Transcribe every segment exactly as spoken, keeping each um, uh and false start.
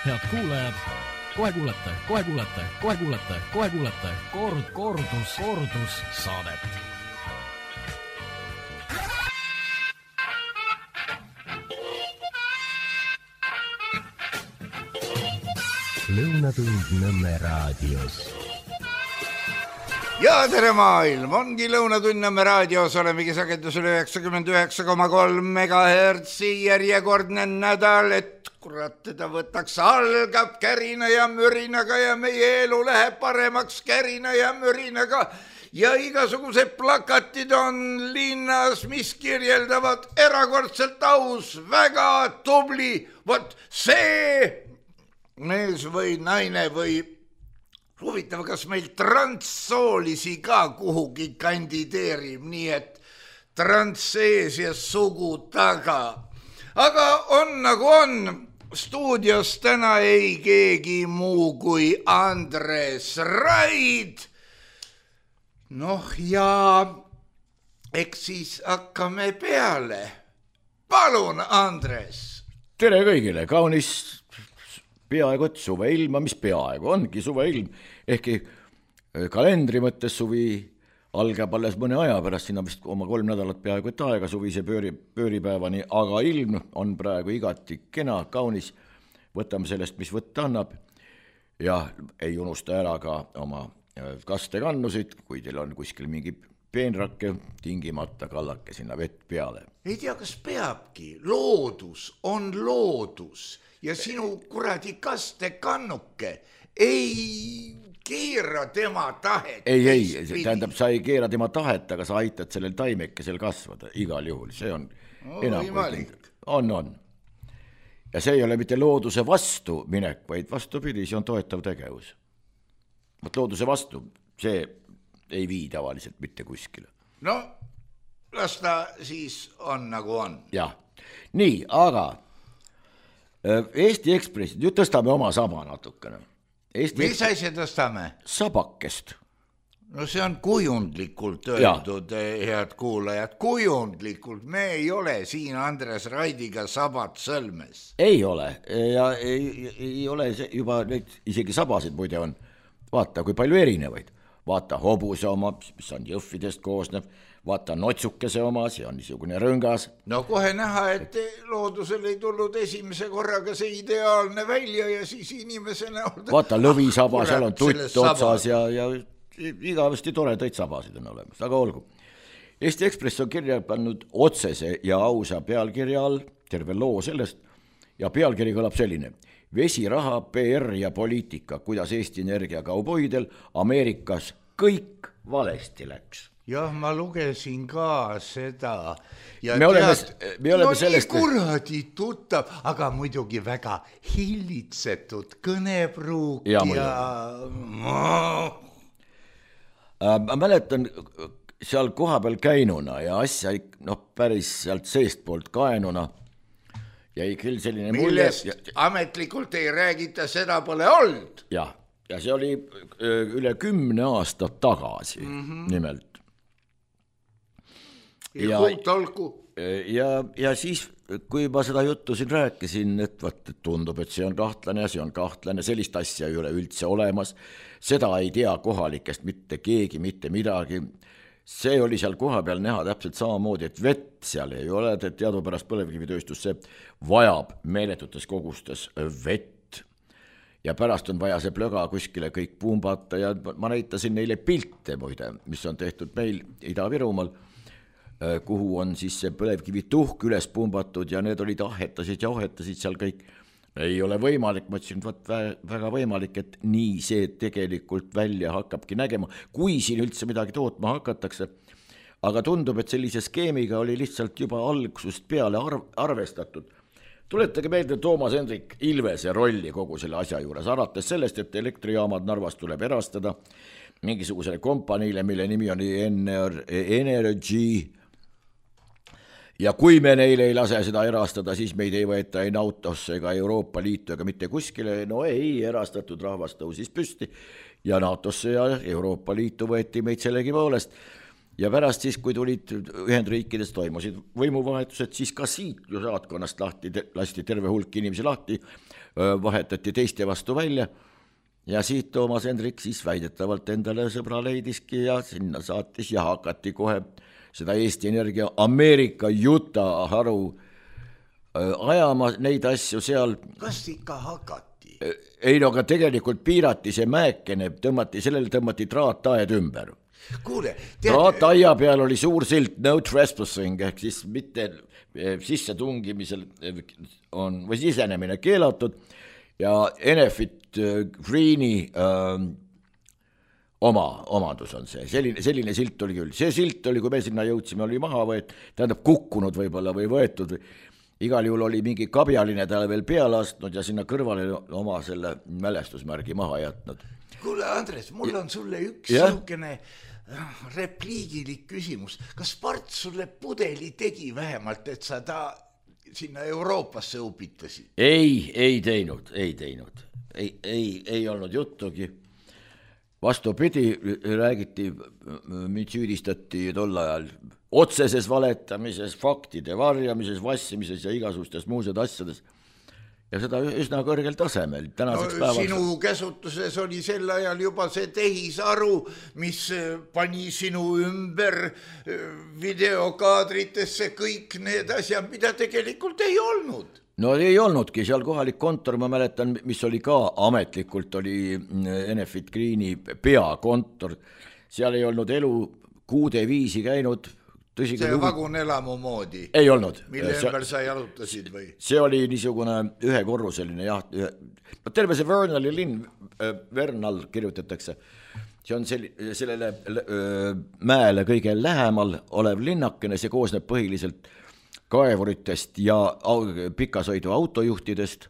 Head kuulajad, kohe kuulete, kohe kuulete, kohe kuulete, kohe kuulete kord, kordus, kordus saadet. Lõunatund Nõmme raadios. Ja tere maailm, ongi Lõunatund Nõmme raadios, olemegi sagedusel üheksakümmend üheksa koma kolm megahertsi, järjekordne nädal, et kurat teda võtaks, algab kärina ja mürinaga ja meie elu läheb paremaks kärina ja mürinaga ja igasugused plakatid on linnas, mis kirjeldavad erakordselt aus, väga tubli, vot see mees või naine või huvitav, kas meil transsoolisi ka kuhugi kandideerib, nii et transsees ja sugu taga. Aga on nagu on, stuudios täna ei keegi muu kui Andres Raid. Noh ja eks siis hakkame peale. Palun, Andres. Tere kõigile, kaunis peaaegu et suveilma, mis peaaegu ongi suveilm, ehkki kalendri mõttes suvi algab alles mõne aja pärast, sinna vist oma kolm nädalat peaaegu et aega suvise pööri, pööripäevani, aga ilm on praegu igati kena, kaunis, võtame sellest, mis võtta annab ja ei unusta ära ka oma kastekannusid, kui teil on kuskil mingi peenrake, tingimata kallake sinna vett peale. Ei tea, kas peabki, loodus on loodus ja sinu kuradi kastekannuke ei keera tema tahet. Ei, ei, tähendab, sa ei keera tema tahet, aga sa aitad sellel taimekesel kasvada igal juhul, see on no, enam kui on, on. Ja see ei ole mitte looduse vastu minek, vaid vastupidi, see on toetav tegevus. Võt looduse vastu, see ei vii tavaliselt mitte kuskile. No, las ta siis on nagu on. Jah, nii, aga Eesti Ekspressid, nüüd tõstame oma saba natukene. Eesti Mis Ekspres... asja tõstame? Sabakest. No see on kujundlikult öeldud, head kuulajad, kujundlikult. Me ei ole siin Andres Raidiga sabat sõlmes. Ei ole ja ei, ei ole juba neid, isegi sabasid muide on. Vaata, kui palju erinevaid. Vaata hobuse oma, mis on jõhvidest koosnev. Vaata notsukese oma, see on niisugune rõngas. No kohe näha, et loodusel ei tulnud esimese korraga see ideaalne välja ja siis inimesena... Vaata lõvisaba, seal on tutt otsas ja, ja igavesti toredaid sabasid on olemas, aga olgu. Eesti Ekspress on kirja pannud otsese ja ausa pealkirja all, terve loo sellest, ja pealkiri kõlab selline. Vesiraha, P R ja poliitika, kuidas Eesti Energia kauboidel Ameerikas kõik valesti läks. Jah, ma lugesin ka seda. Ja me oleme, me oleme no sellest... nii kuradi tuttav, aga muidugi väga hillitsetud kõnepruuk ja... ja... Ma mäletan seal koha peal käinuna ja asja no, päris sealt seest poolt kaenuna jäi küll selline mulje... Millest ja... ametlikult ei räägita, seda pole olnud. Jah, ja see oli üle kümne aastat tagasi mm-hmm. nimelt. Ja, ja, ja siis, kui ma seda juttu siin rääkisin, et, vaat, et tundub, et see on kahtlane ja see on kahtlane, sellist asja ei ole üldse olemas, seda ei tea kohalikest mitte keegi, mitte midagi. See oli seal koha peal näha täpselt samamoodi, et vett seal ei ole, et teadupärast põlevkivitööstus see vajab meeletutes kogustes vett ja pärast on vaja see plöga kuskile kõik pumbata ja ma näitasin neile pilte muide, mis on tehtud meil Ida-Virumaal, kuhu on siis see põlevkivi tuhk üles pumbatud ja need olid ahetasid ja ahetasid seal kõik. Ei ole võimalik, ma ütlesin, et väga võimalik, et nii see tegelikult välja hakkabki nägema, kui siin üldse midagi tootma hakatakse. Aga tundub, et sellise skeemiga oli lihtsalt juba algusest peale arv, arvestatud. Tuletage meelde Toomas Hendrik Ilvese rolli kogu selle asja juures, alates sellest, et elektrijaamad Narvas tuleb erastada mingisugusele kompaniile, mille nimi on Energy. Ja kui me neile ei lase seda erastada, siis meid ei võeta ei NATOsse ega Euroopa Liitu ega mitte kuskile. No ei, erastatud rahvas tõusis püsti ja NATOsse ja Euroopa Liitu võeti meid sellegi poolest. ja pärast siis, kui tulid Ühendriikides, toimusid võimuvahetused, siis ka siit ju saatkonnast lahti, lasti terve hulk inimesi lahti, vahetati teiste vastu välja ja siit Toomas Hendrik siis väidetavalt endale sõbra leidiski ja sinna saatis ja hakati kohe seda Eesti Energia Ameerika Utah haru ajama neid asju seal. Kas ikka hakati? Ei, no aga tegelikult piirati see mäekene, tõmmati, sellele tõmmati traataed ümber. Kuule, traataia peal oli suur silt no trespassing ehk siis mitte sisse tungimisel on või sisenemine keelatud ja Enefit Greeni äh, oma omandus on see, selline, selline silt oli küll, see silt oli, kui me sinna jõudsime, oli maha võet, tähendab kukkunud võib-olla või võetud, igal juhul oli mingi kabjaline talle veel peale astnud ja sinna kõrvale oma selle mälestusmärgi maha jätnud. Kuule Andres, mul on sulle üks niisugune repliigilik küsimus, kas Parts sulle pudeli tegi vähemalt, et sa ta sinna Euroopasse upitasid? Ei, ei teinud, ei teinud, ei, ei, ei olnud juttugi. Vastupidi, räägiti, mind süüdistati tol ajal otseses valetamises, faktide varjamises, vassimises ja igasugustes muused asjades. Ja seda üsna kõrgel tasemel. No, päevaks... Sinu käsutuses oli sel ajal juba see tehisaru, mis pani sinu ümber videokaadritesse kõik need asjad, mida tegelikult ei olnud. No ei olnudki, seal kohalik kontor, ma mäletan, mis oli ka ametlikult, oli Enefit Greeni peakontor. Seal ei olnud elu kuude viisi käinud. Tõsi, see vagunelamu moodi? Ei olnud. Mille ümber sa jalutasid või? See oli niisugune ühekorruseline jah, ühe, terve see Vernali linn, Vernal kirjutatakse, see on sel, sellele öö, mäele kõige lähemal olev linnakene, see koosneb põhiliselt kaevuritest ja pikasõidu autojuhtidest,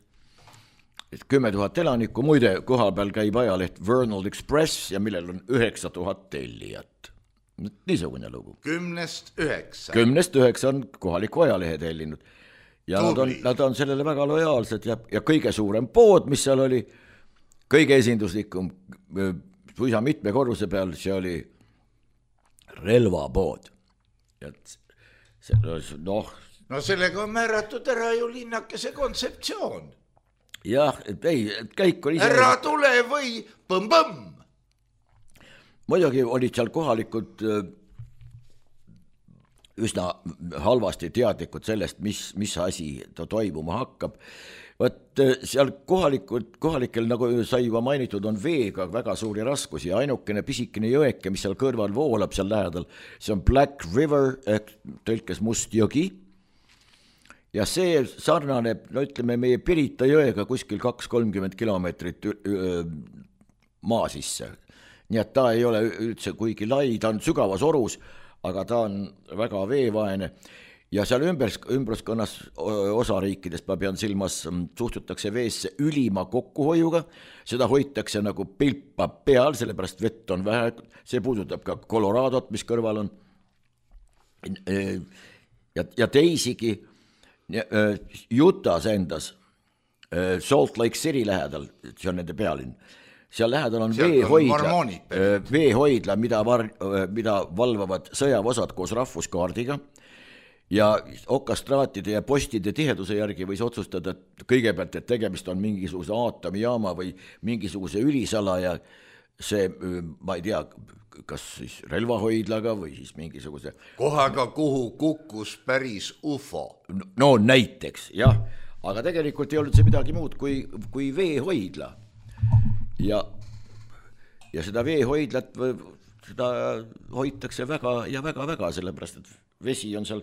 kümme tuhat elanikku, muide kohal peal käib ajaleht Vernal Express ja millel on üheksa tuhat tellijat. Niisugune lugu. Kümnest üheksa. Kümnest üheksa on kohaliku ajalehe tellinud. Ja nad on, nad on sellele väga lojaalsed ja, ja kõige suurem pood, mis seal oli, kõige esinduslikum, puisa mitme korruse peal, see oli relvapood. See, noh, no sellega on määratud ära ju linnakese kontseptsioon. Jah, ei, käik oli... Ära tule või põmm-põmm! Muidugi olid seal kohalikud üsna halvasti teadlikud sellest, mis, mis asi ta toimuma hakkab. Võt seal kohalikud, kohalikel, nagu sai juba mainitud, on veega väga suuri raskusi ja ainukene pisikene jõeke, mis seal kõrval voolab seal lähedal, see on Black River, ehk tõlkes Must jõgi. Ja see sarnaneb, no ütleme, meie Pirita jõega kuskil kaks kolmkümmend kilomeetrit maa sisse. Nii et ta ei ole üldse kuigi lai, ta on sügavas orus, aga ta on väga veevaene ja seal ümbers, ümbruskonnas osariikidest, ma pean silmas, suhtutakse veesse ülima kokkuhoiuga, seda hoitakse nagu pilpa peal, sellepärast vett on vähe, see puudutab ka Coloradot, mis kõrval on ja, ja teisigi Utah's endas, Salt Lake City lähedal, see on nende pealinn, seal lähedal on veehoidla, veehoidla, mida, var, mida valvavad sõjaväeosad koos rahvuskaardiga ja okastraatide ja postide tiheduse järgi võis otsustada, et kõigepealt, et tegemist on mingisuguse aatomijaama või mingisuguse ülisalaja, see, ma ei tea, kas siis relvahoidlaga või siis mingisuguse... Kohaga, kuhu kukkus päris U F O. No näiteks, jah, aga tegelikult ei olnud see midagi muud kui, kui veehoidla. Ja, ja seda veehoidlat seda hoitakse väga ja väga-väga, sellepärast, et vesi on seal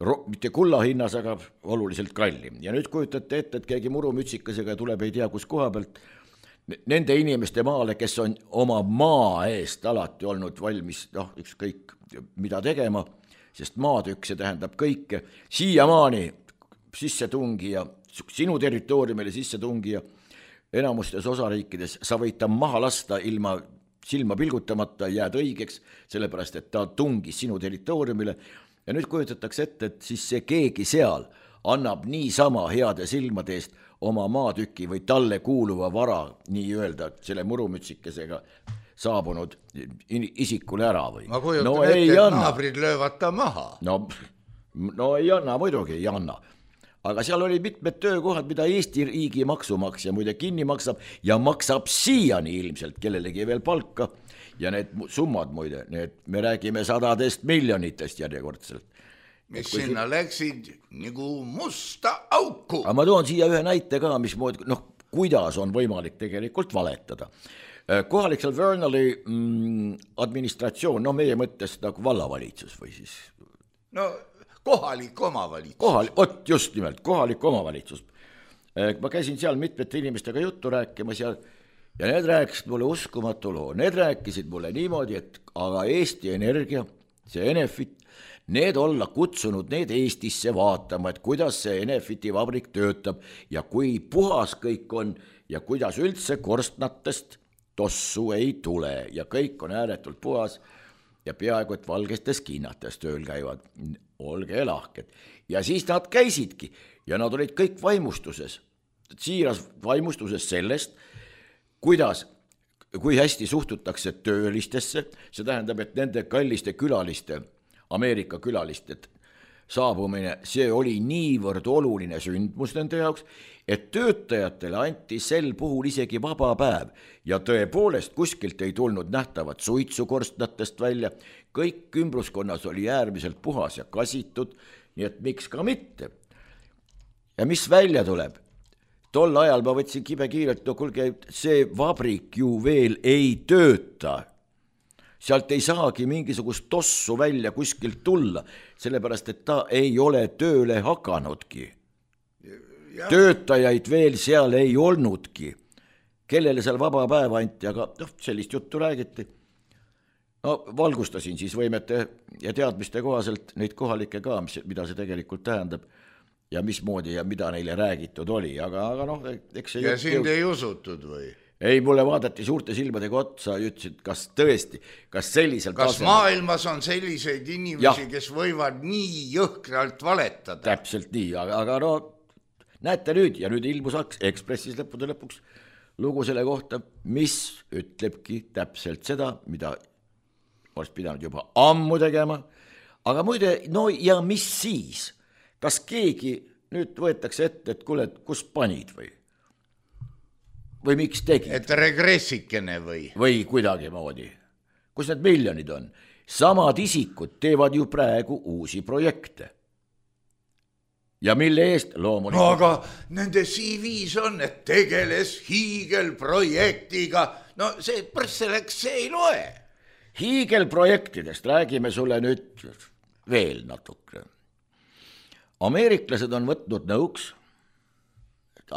ro- mitte kulla hinnas, aga oluliselt kallim. Ja nüüd kujutate ette, et keegi murumütsikasega tuleb ei tea kus koha pealt nende inimeste maale, kes on oma maa eest alati olnud valmis, noh, ükskõik mida tegema, sest maatükk, see tähendab kõike, siiamaani sisse tungija, sinu territooriumile sisse tungija, enamustes osariikides sa võid ta maha lasta ilma silma pilgutamata, jääd õigeks, sellepärast, et ta tungis sinu territooriumile ja nüüd kujutatakse ette, et siis see keegi seal annab niisama heade silmade eest oma maatüki või talle kuuluva vara, nii öelda, selle murumütsikesega saabunud isikule ära või? Ma kujutan no, ette, et anna. naabrid löövad ta maha. No, no ei anna, muidugi ei anna. Aga seal oli mitmed töökohad, mida Eesti riigi maksumaksja muide kinni maksab ja maksab siiani ilmselt kellelegi veel palka. Ja need summad muide, need me räägime sadadest miljonitest järjekordselt. Mis sinna siin... läksid nagu musta auku. Aga ma toon siia ühe näite ka, mis moodi, noh, kuidas on võimalik tegelikult valetada. Kohalik seal Vernali mm, administratsioon, no meie mõttes nagu vallavalitsus või siis... No kohalik omavalitsus. Kohalik, ot just nimelt, kohalik omavalitsus. Ma käisin seal mitmete inimestega juttu rääkimas ja, ja need rääkisid mulle uskumatu loo. Need rääkisid mulle niimoodi, et aga Eesti Energia, see Enefit, need olla kutsunud need Eestisse vaatama, et kuidas see Enefiti vabrik töötab ja kui puhas kõik on ja kuidas üldse korstnatest tossu ei tule ja kõik on ääretult puhas ja peaaegu et valgestes kinnates tööl käivad. Olge lahked. Ja siis nad käisidki ja nad olid kõik vaimustuses, siiras vaimustuses sellest, kuidas, kui hästi suhtutakse töölistesse, see tähendab, et nende kalliste külaliste, Ameerika külaliste saabumine, see oli niivõrd oluline sündmus nende jaoks, et töötajatele anti sel puhul isegi vaba päev ja tõepoolest kuskilt ei tulnud nähtavat suitsukorstnatest välja, kõik ümbruskonnas oli äärmiselt puhas ja kasitud, nii et miks ka mitte. Ja mis välja tuleb? Tol ajal ma võtsin kibe kiirelt, no kuulge, see vabrik ju veel ei tööta. Sealt ei saagi mingisugust tossu välja kuskilt tulla, sellepärast, et ta ei ole tööle hakanudki. Ja. Töötajaid veel seal ei olnudki. Kellele seal vaba päev anti, aga noh, sellist juttu räägiti. No valgustasin siis võimete ja teadmiste kohaselt neid kohalikke ka, mis, mida see tegelikult tähendab ja mismoodi ja mida neile räägitud oli, aga, aga noh, eks see... Ja sind jõud... ei usutud või? Ei, mulle vaadati suurte silmadega otsa ja ütlesid, kas tõesti, kas sellisel kas tasemel... maailmas on selliseid inimesi, ja. Kes võivad nii jõhkralt valetada? Täpselt nii, aga, aga no näete nüüd ja nüüd ilmus Ekspressis lõppude lõpuks lugu selle kohta, mis ütlebki täpselt seda, mida oleks pidanud juba ammu tegema, aga muide, no ja mis siis? Kas keegi nüüd võetakse ette, et kuule, kus panid või? Või miks tegid? Et regressikene või? Või kuidagi moodi. Kus need miljonid on? Samad isikud teevad ju praegu uusi projekte. Ja mille eest loomulikult... No aga nende C V's on, et tegeles hiigelprojektiga. No see prõsseleks, see ei loe. Hiigelprojektidest räägime sulle nüüd veel natuke. Ameeriklased on võtnud nõuks,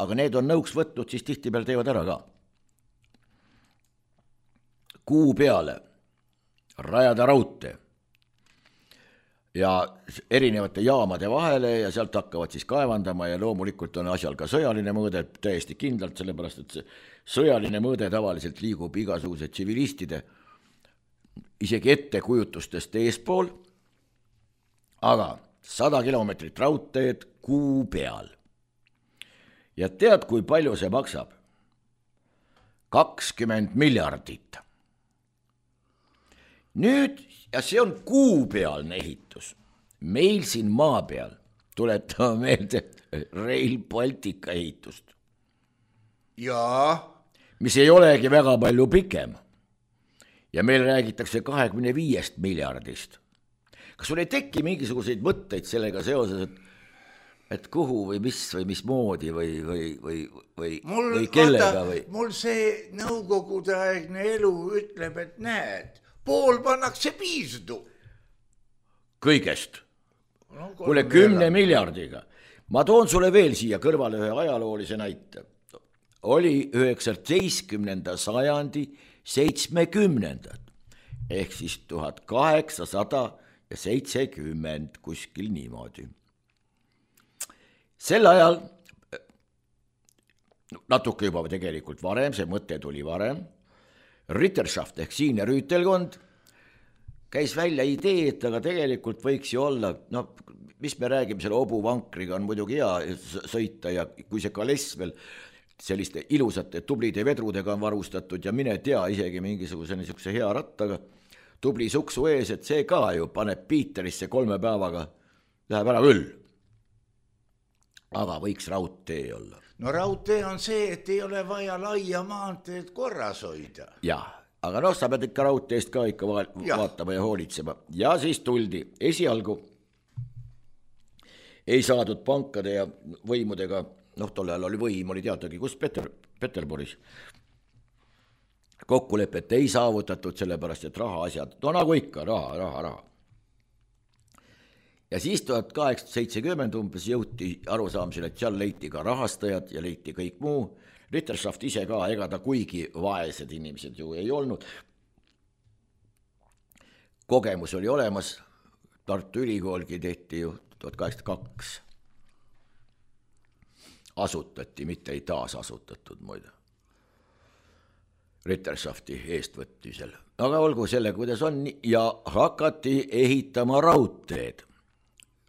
aga need on nõuks võtnud, siis tihtipeale teevad ära ka. Kuu peale rajada raudtee ja erinevate jaamade vahele ja sealt hakkavad siis kaevandama ja loomulikult on asjal ka sõjaline mõõde täiesti kindlalt, sellepärast et see sõjaline mõõde tavaliselt liigub igasuguse tsivilistide isegi ettekujutustest eespool, aga sada kilomeetrit raudteed kuu peal. Ja tead, kui palju see maksab? kakskümmend miljardit. Nüüd, ja see on kuupealne ehitus. Meil siin maa peal tuletame meelde Rail Baltica ehitust. Jaa. Mis ei olegi väga palju pikem. Ja meil räägitakse kahekümne viiest miljardist. Kas sul ei teki mingisuguseid mõtteid sellega seoses, et et kuhu või mis või mis moodi või, või, või, või, mul, või kellega või? Mul see nõukogude aegne elu ütleb, et näed, pool pannakse piisdu. Kõigest. No, kuule, kümne miljardiga. Ma toon sulle veel siia kõrvale ühe ajaloolise näite. Oli üheksateistkümnenda sajandi seitsmekümnendad, ehk siis tuhat kaheksasada seitsekümmend kuskil niimoodi. Sel ajal, natuke juba tegelikult varem, see mõte tuli varem, Ritterschaft ehk siinne rüütelkond käis välja idee, et aga tegelikult võiks ju olla, no mis me räägime, selle obuvankriga on muidugi hea sõita ja kui see kaless veel selliste ilusate tublide vedrudega on varustatud ja mine tea isegi mingisuguse niisuguse hea rattaga, tubli suksu ees, et see ka ju paneb Piiterisse kolme päevaga, läheb ära küll. Aga võiks raudtee olla. No raudtee on see, et ei ole vaja laia maanteed korras hoida. Jah, aga noh, sa pead ikka raudteest ka ikka vaatama ja hoolitsema. Ja siis tuldi esialgu ei saadud pankade ja võimudega, noh, tol ajal oli võim, oli teatagi, kus Peter, Peterburis kokkulepet ei saavutatud, sellepärast, et raha asjad, no nagu ikka, raha, raha, raha. Ja siis tuhat kaheksasada seitsekümmend umbes jõuti arusaamisele, et seal leiti ka rahastajad ja leiti kõik muu. Ritterschaft ise ka, ega ta kuigi vaesed inimesed ju ei olnud. Kogemus oli olemas, Tartu Ülikoolgi tehti ju tuhat kaheksasada kaks. Asutati, mitte ei taas asutatud muide. Ritterschafti eestvõtmisel. Aga olgu selle, kuidas on, ja hakati ehitama raudteed.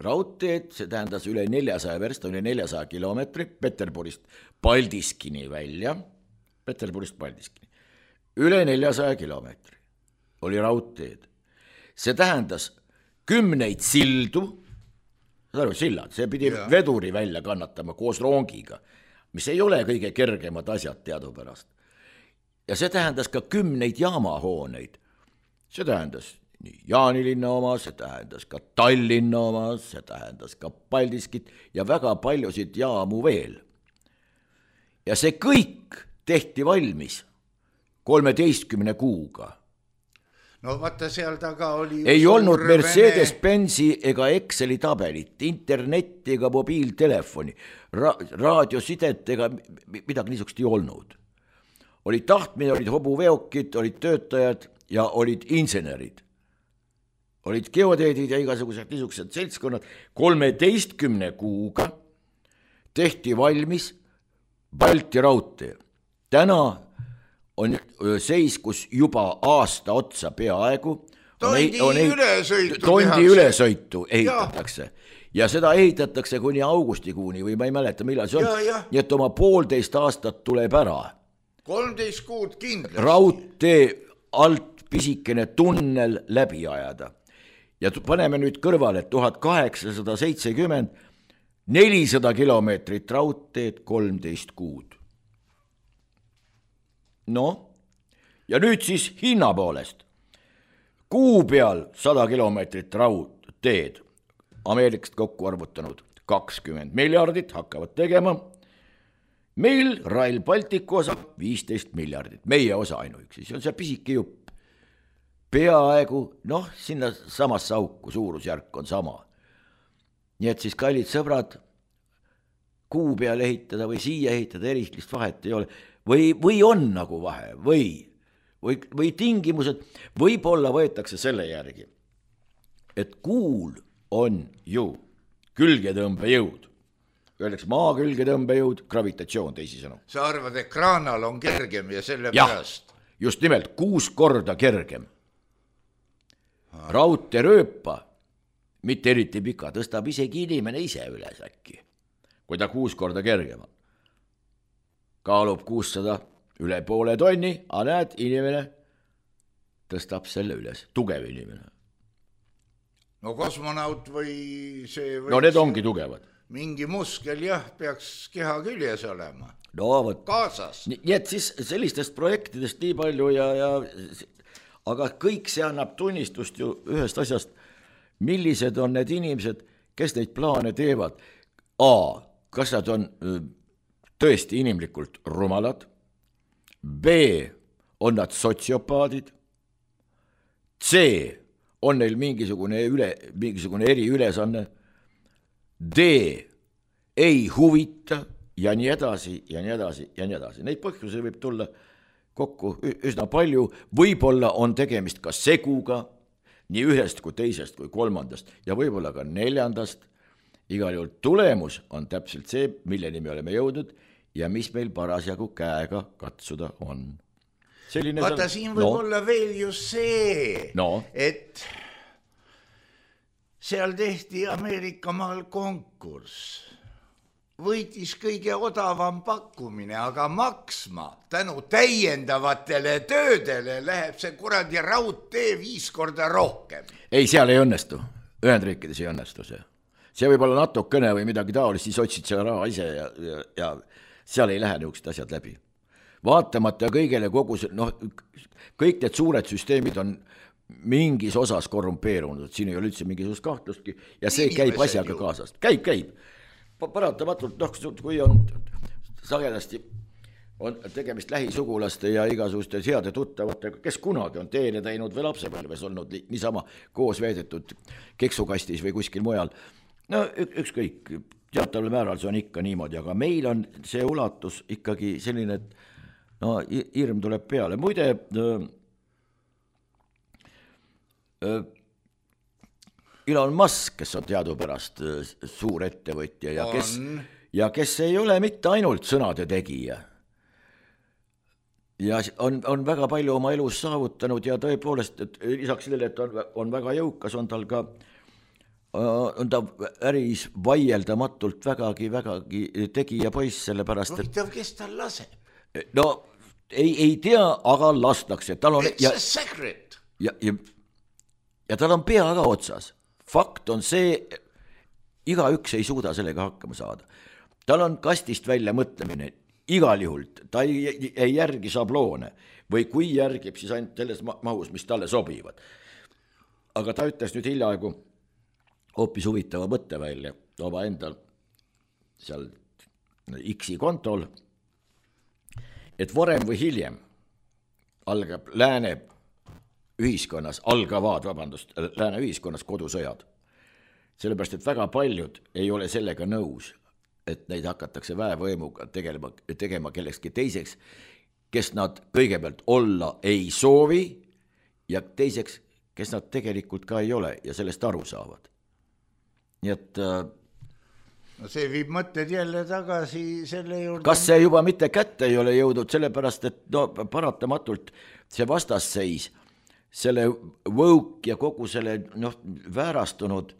Raudteed, see tähendas üle neljasaja versta, üle neljasaja kilomeetri, Peterburist Paldiskini välja, Peterburist Paldiskini, üle neljasaja kilomeetri oli raudteed. See tähendas kümneid sildu, sillad, see pidi ja. veduri välja kannatama koos rongiga, mis ei ole kõige kergemad asjad teadupärast. Ja see tähendas ka kümneid jaamahooneid. See tähendas nii Jaanilinna oma, see tähendas ka Tallinna oma, see tähendas ka Paldiskit ja väga paljusid jaamu veel. Ja see kõik tehti valmis kolmeteistkümne kuuga. No vaata seal taga oli... Ei olnud Mercedes-Benzi ega Exceli tabelit, internetti ega mobiiltelefoni, ra- raadiosidet ega midagi niisugust ei olnud. Olid tahtmine, olid hobuveokid, olid töötajad ja olid insenerid. Olid geodeedid ja igasugused niisugused seltskonnad. kolmeteistkümne kuuga tehti valmis Balti raudtee. Täna on seis, kus juba aasta otsa peaaegu tondi on, on, ülesõitu tondi ülesõitu ehitatakse. Ja. ja seda ehitatakse kuni augustikuuni või ma ei mäleta, millal see on. Ja, ja. Nii et oma poolteist aastat tuleb ära. kolmteist kuud kindlasti. Raudtee alt pisikene tunnel läbi ajada. Ja paneme nüüd kõrvale tuhat kaheksasada seitsekümmend nelisada kilomeetrit raudteed kolmteist kuud. No, ja nüüd siis hinna poolest. Kuu peal sada kilomeetrit raudteed, Ameerikast kokku arvutanud kakskümmend miljardit hakkavad tegema. Meil Rail Balticu osa viisteist miljardit, meie osa ainuüksi, see on see pisike jupp. Peaaegu, noh, sinna samasse auku suurusjärk on sama. Nii et siis kallid sõbrad, kuu peal ehitada või siia ehitada eristlist vahet ei ole. Või, või on nagu vahe, või, või, või tingimused, võib-olla võetakse selle järgi, et kuul on ju külgetõmbejõud. Öeldakse maa külgetõmbejõud, gravitatsioon teisisõnu. Sa arvad, et kraanal on kergem ja selle ja, pärast? Just nimelt, kuus korda kergem. Raudte rööpa, mitte eriti pika, tõstab isegi inimene ise üles äkki, kui ta kuus korda kergem on. Kaalub kuussada üle poole tonni, aga näed, inimene tõstab selle üles, tugev inimene. No kosmonaut või see... No need ongi tugevad. Mingi muskel jah, peaks keha küljes olema. No võt. Kaasas. Nii, nii et siis sellistest projektidest nii palju ja, ja... Aga kõik see annab tunnistust ju ühest asjast, millised on need inimesed, kes neid plaane teevad. A, kas nad on... tõesti inimlikult rumalad, B, on nad sotsiopaadid, C, on neil mingisugune, üle, mingisugune eriülesanne, D, ei huvita ja nii edasi ja nii edasi ja nii edasi. Neid põhjusi võib tulla kokku üsna palju, võib-olla on tegemist ka seguga, nii ühest kui teisest kui kolmandast ja võib-olla ka neljandast. Igal juhul tulemus on täpselt see, milleni me oleme jõudnud ja mis meil parasjagu käega katsuda on. Selline Vaata, siin võib no. olla veel just see, no. et seal tehti Ameerika maal konkurss võitis kõige odavam pakkumine, aga maksma tänu täiendavatele töödele läheb see kuradi raudtee viis korda rohkem. Ei, seal ei õnnestu. Ühendriikides ei õnnestu see. See võib olla natukene või midagi taolist, siis otsid selle raha ise ja, ja, ja seal ei lähe niisugused asjad läbi. Vaatamata kõigele kogu see, noh, kõik need suured süsteemid on mingis osas korrumpeerunud, siin ei ole üldse mingisugust kahtlustki ja see käib asjaga kaasast. Käib, käib. Paratamatult, noh, kui on sagedasti on tegemist lähisugulaste ja igasuguste heade tuttavatega, kes kunagi on teene teinud või lapsepõlves olnud niisama koos veedetud keksukastis või kuskil mujal. No ükskõik, teataval määral see on ikka niimoodi, aga meil on see ulatus ikkagi selline, et no hirm tuleb peale. Muide, äh, äh, Elon Musk, kes on teadupärast suur ettevõtja ja kes, ja kes ei ole mitte ainult sõnade tegija ja on, on väga palju oma elus saavutanud ja tõepoolest, et lisaks sellele, et on, on väga jõukas, on tal ka on ta äris vaieldamatult vägagi, vägagi tegija poiss, sellepärast, et huvitav, kes tal laseb? No ei, ei tea, aga lastakse. Tal on, It's ja, a secret. Ja, ja, ja tal on pea ka otsas. Fakt on see, igaüks ei suuda sellega hakkama saada. Tal on kastist välja mõtlemine, igal juhul, ta ei, ei järgi sabloone või kui järgib, siis ainult selles mahus, mis talle sobivad. Aga ta ütles nüüd hiljaaegu hoopis huvitava mõtte välja oma endal seal X-i kontol, et varem või hiljem algab lääne ühiskonnas, algavad, vabandust, lääne ühiskonnas kodusõjad. Sellepärast, et väga paljud ei ole sellega nõus, et neid hakatakse väevõimuga tegelema, tegema kellekski teiseks, kes nad kõigepealt olla ei soovi ja teiseks, kes nad tegelikult ka ei ole ja sellest aru saavad. Nii et no see viib mõtted jälle tagasi selle juurde. Kas see juba mitte kätte ei ole jõudnud, sellepärast, et no, paratamatult see vastasseis, selle võuk ja kogu selle noh, väärastunud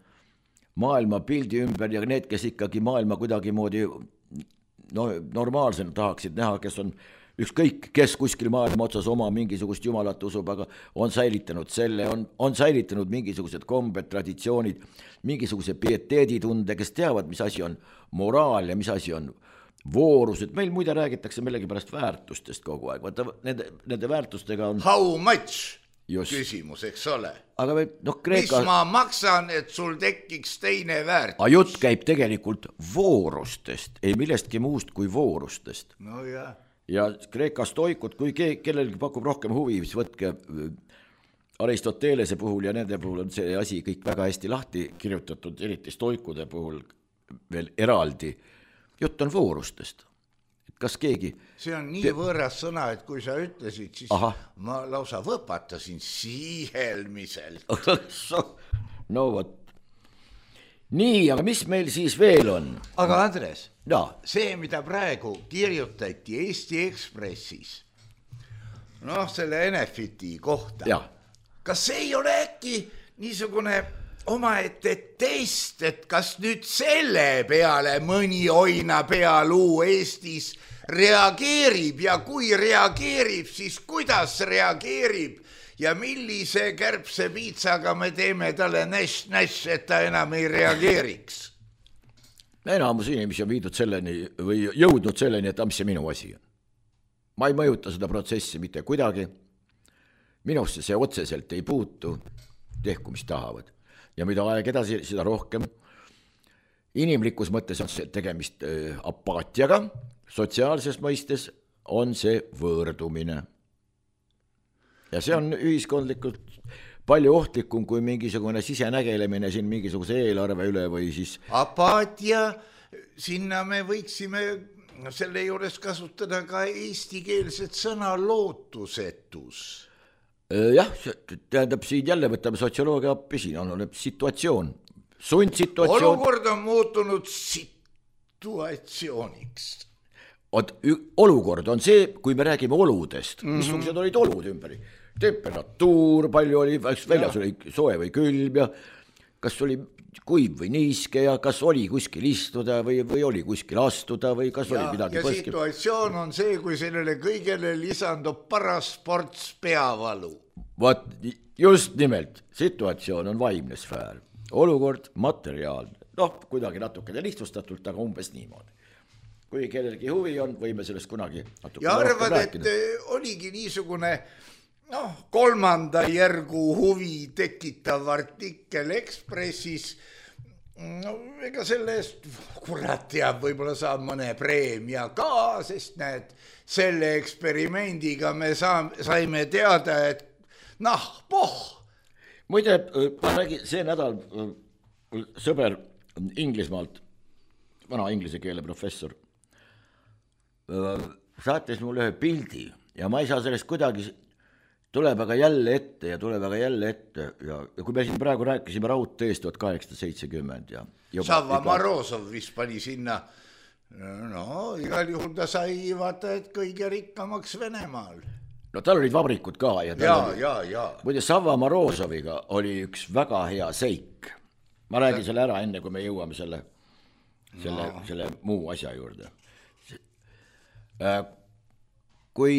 maailma pildi ümber ja need, kes ikkagi maailma kuidagi moodi no, normaalsena tahaksid näha, kes on ükskõik, kes kuskil maailma otsas oma mingisugust jumalat usub, aga on säilitanud selle, on, on säilitanud mingisugused kombed, traditsioonid, mingisuguse pieteeditunde, kes teavad, mis asi on moraal ja mis asi on voorus, et meil muide räägitakse millegi pärast väärtustest kogu aeg, vaata nende, nende väärtustega on how much just küsimus, eks ole. Aga või, noh, Kreeka... mis ma maksan, et sul tekiks teine väärtus? A jutt käib tegelikult voorustest, ei millestki muust kui voorustest. No jah. Ja Kreeka stoikud, kui ke- kellelgi pakub rohkem huvi, siis võtke Aristotelese puhul ja nende puhul on see asi kõik väga hästi lahti kirjutatud, eriti stoikude puhul veel eraldi. Jutt on voorustest. Kas keegi... See on nii võõras sõna, et kui sa ütlesid, siis Aha. ma lausa võpatasin siihelmiselt. No vot. Nii, aga mis meil siis veel on? Aga Andres, ja. see, mida praegu kirjutati Eesti Ekspressis, noh, selle Enefiti kohta, ja. Kas see ei ole äkki niisugune omaette test, et kas nüüd selle peale mõni oina pealuu Eestis reageerib ja kui reageerib, siis kuidas reageerib ja millise kärbse piitsaga me teeme talle näš-näš, et ta enam ei reageeriks? Enamus inimesi on viidud selleni või jõudnud selleni, et mis see minu asi on. Ma ei mõjuta seda protsessi mitte kuidagi. Minusse see otseselt ei puutu, tehku mis tahavad. Ja mida aeg edasi, seda rohkem. Inimlikus mõttes on see tegemist apaatiaga, sotsiaalses mõistes on see võõrdumine. Ja see on ühiskondlikult palju ohtlikum kui mingisugune sisenägelemine siin mingisuguse eelarve üle või siis... Apaatia, sinna me võiksime selle juures kasutada ka eestikeelset sõna lootusetus. Jah, tähendab siin jälle võtame sotsioloogia appi, siin on situatsioon, sundsituatsioon. Olukord on muutunud situatsiooniks. Oot, olukord on see, kui me räägime oludest, mm-hmm. missugused olid olud ümber. Temperatuur, palju oli, väljas oli soe või külm ja kas oli kuiv või niiske ja kas oli kuskil istuda või, või oli kuskil astuda või kas ja, oli midagi ja põskil. Situatsioon on see, kui sellele kõigele lisandub paras ports peavalu. Vaat just nimelt, situatsioon on vaimne sfäär, olukord materiaalne, noh, kuidagi natuke lihtsustatult, aga umbes niimoodi. Kui kellelgi huvi on, võime sellest kunagi natuke ja arvad, et oligi niisugune noh, kolmanda järgu huvi tekitav artikkel Ekspressis, no ega selle eest, kurat teab, võib-olla saab mõne preemia ka, sest näed, selle eksperimendiga me saam, saime teada, et noh, poh. Muide, ma räägin, see nädal sõber Inglismaalt, vana inglise keele professor, saatis mulle ühe pildi ja ma ei saa sellest kuidagi, tuleb aga jälle ette ja tuleb aga jälle ette ja, ja kui me siin praegu rääkisime raudteest tuhat kaheksasada seitsekümmend ja Sava Morozov vist pani sinna, no igal juhul ta sai vaata, et kõige rikkamaks Venemaal. No tal olid vabrikud ka ja, ja, oli, ja, ja. muide Sava Morozoviga oli üks väga hea seik. Ma räägin selle ära enne, kui me jõuame selle, selle, no. selle muu asja juurde. Kui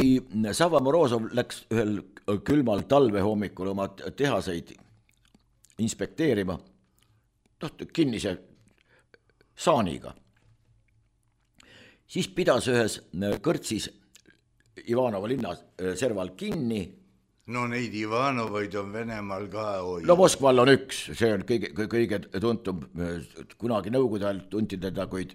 Sava Morozov läks ühel külmal talvehommikul oma tehaseid inspekteerima, kinnise saaniga, siis pidas ühes kõrtsis Ivanova linna serval kinni. No neid Ivanovaid on Venemaal ka hoida. No Moskval on üks, see on kõige, kõige tuntum, kunagi nõukogude ajal tunti teda kuid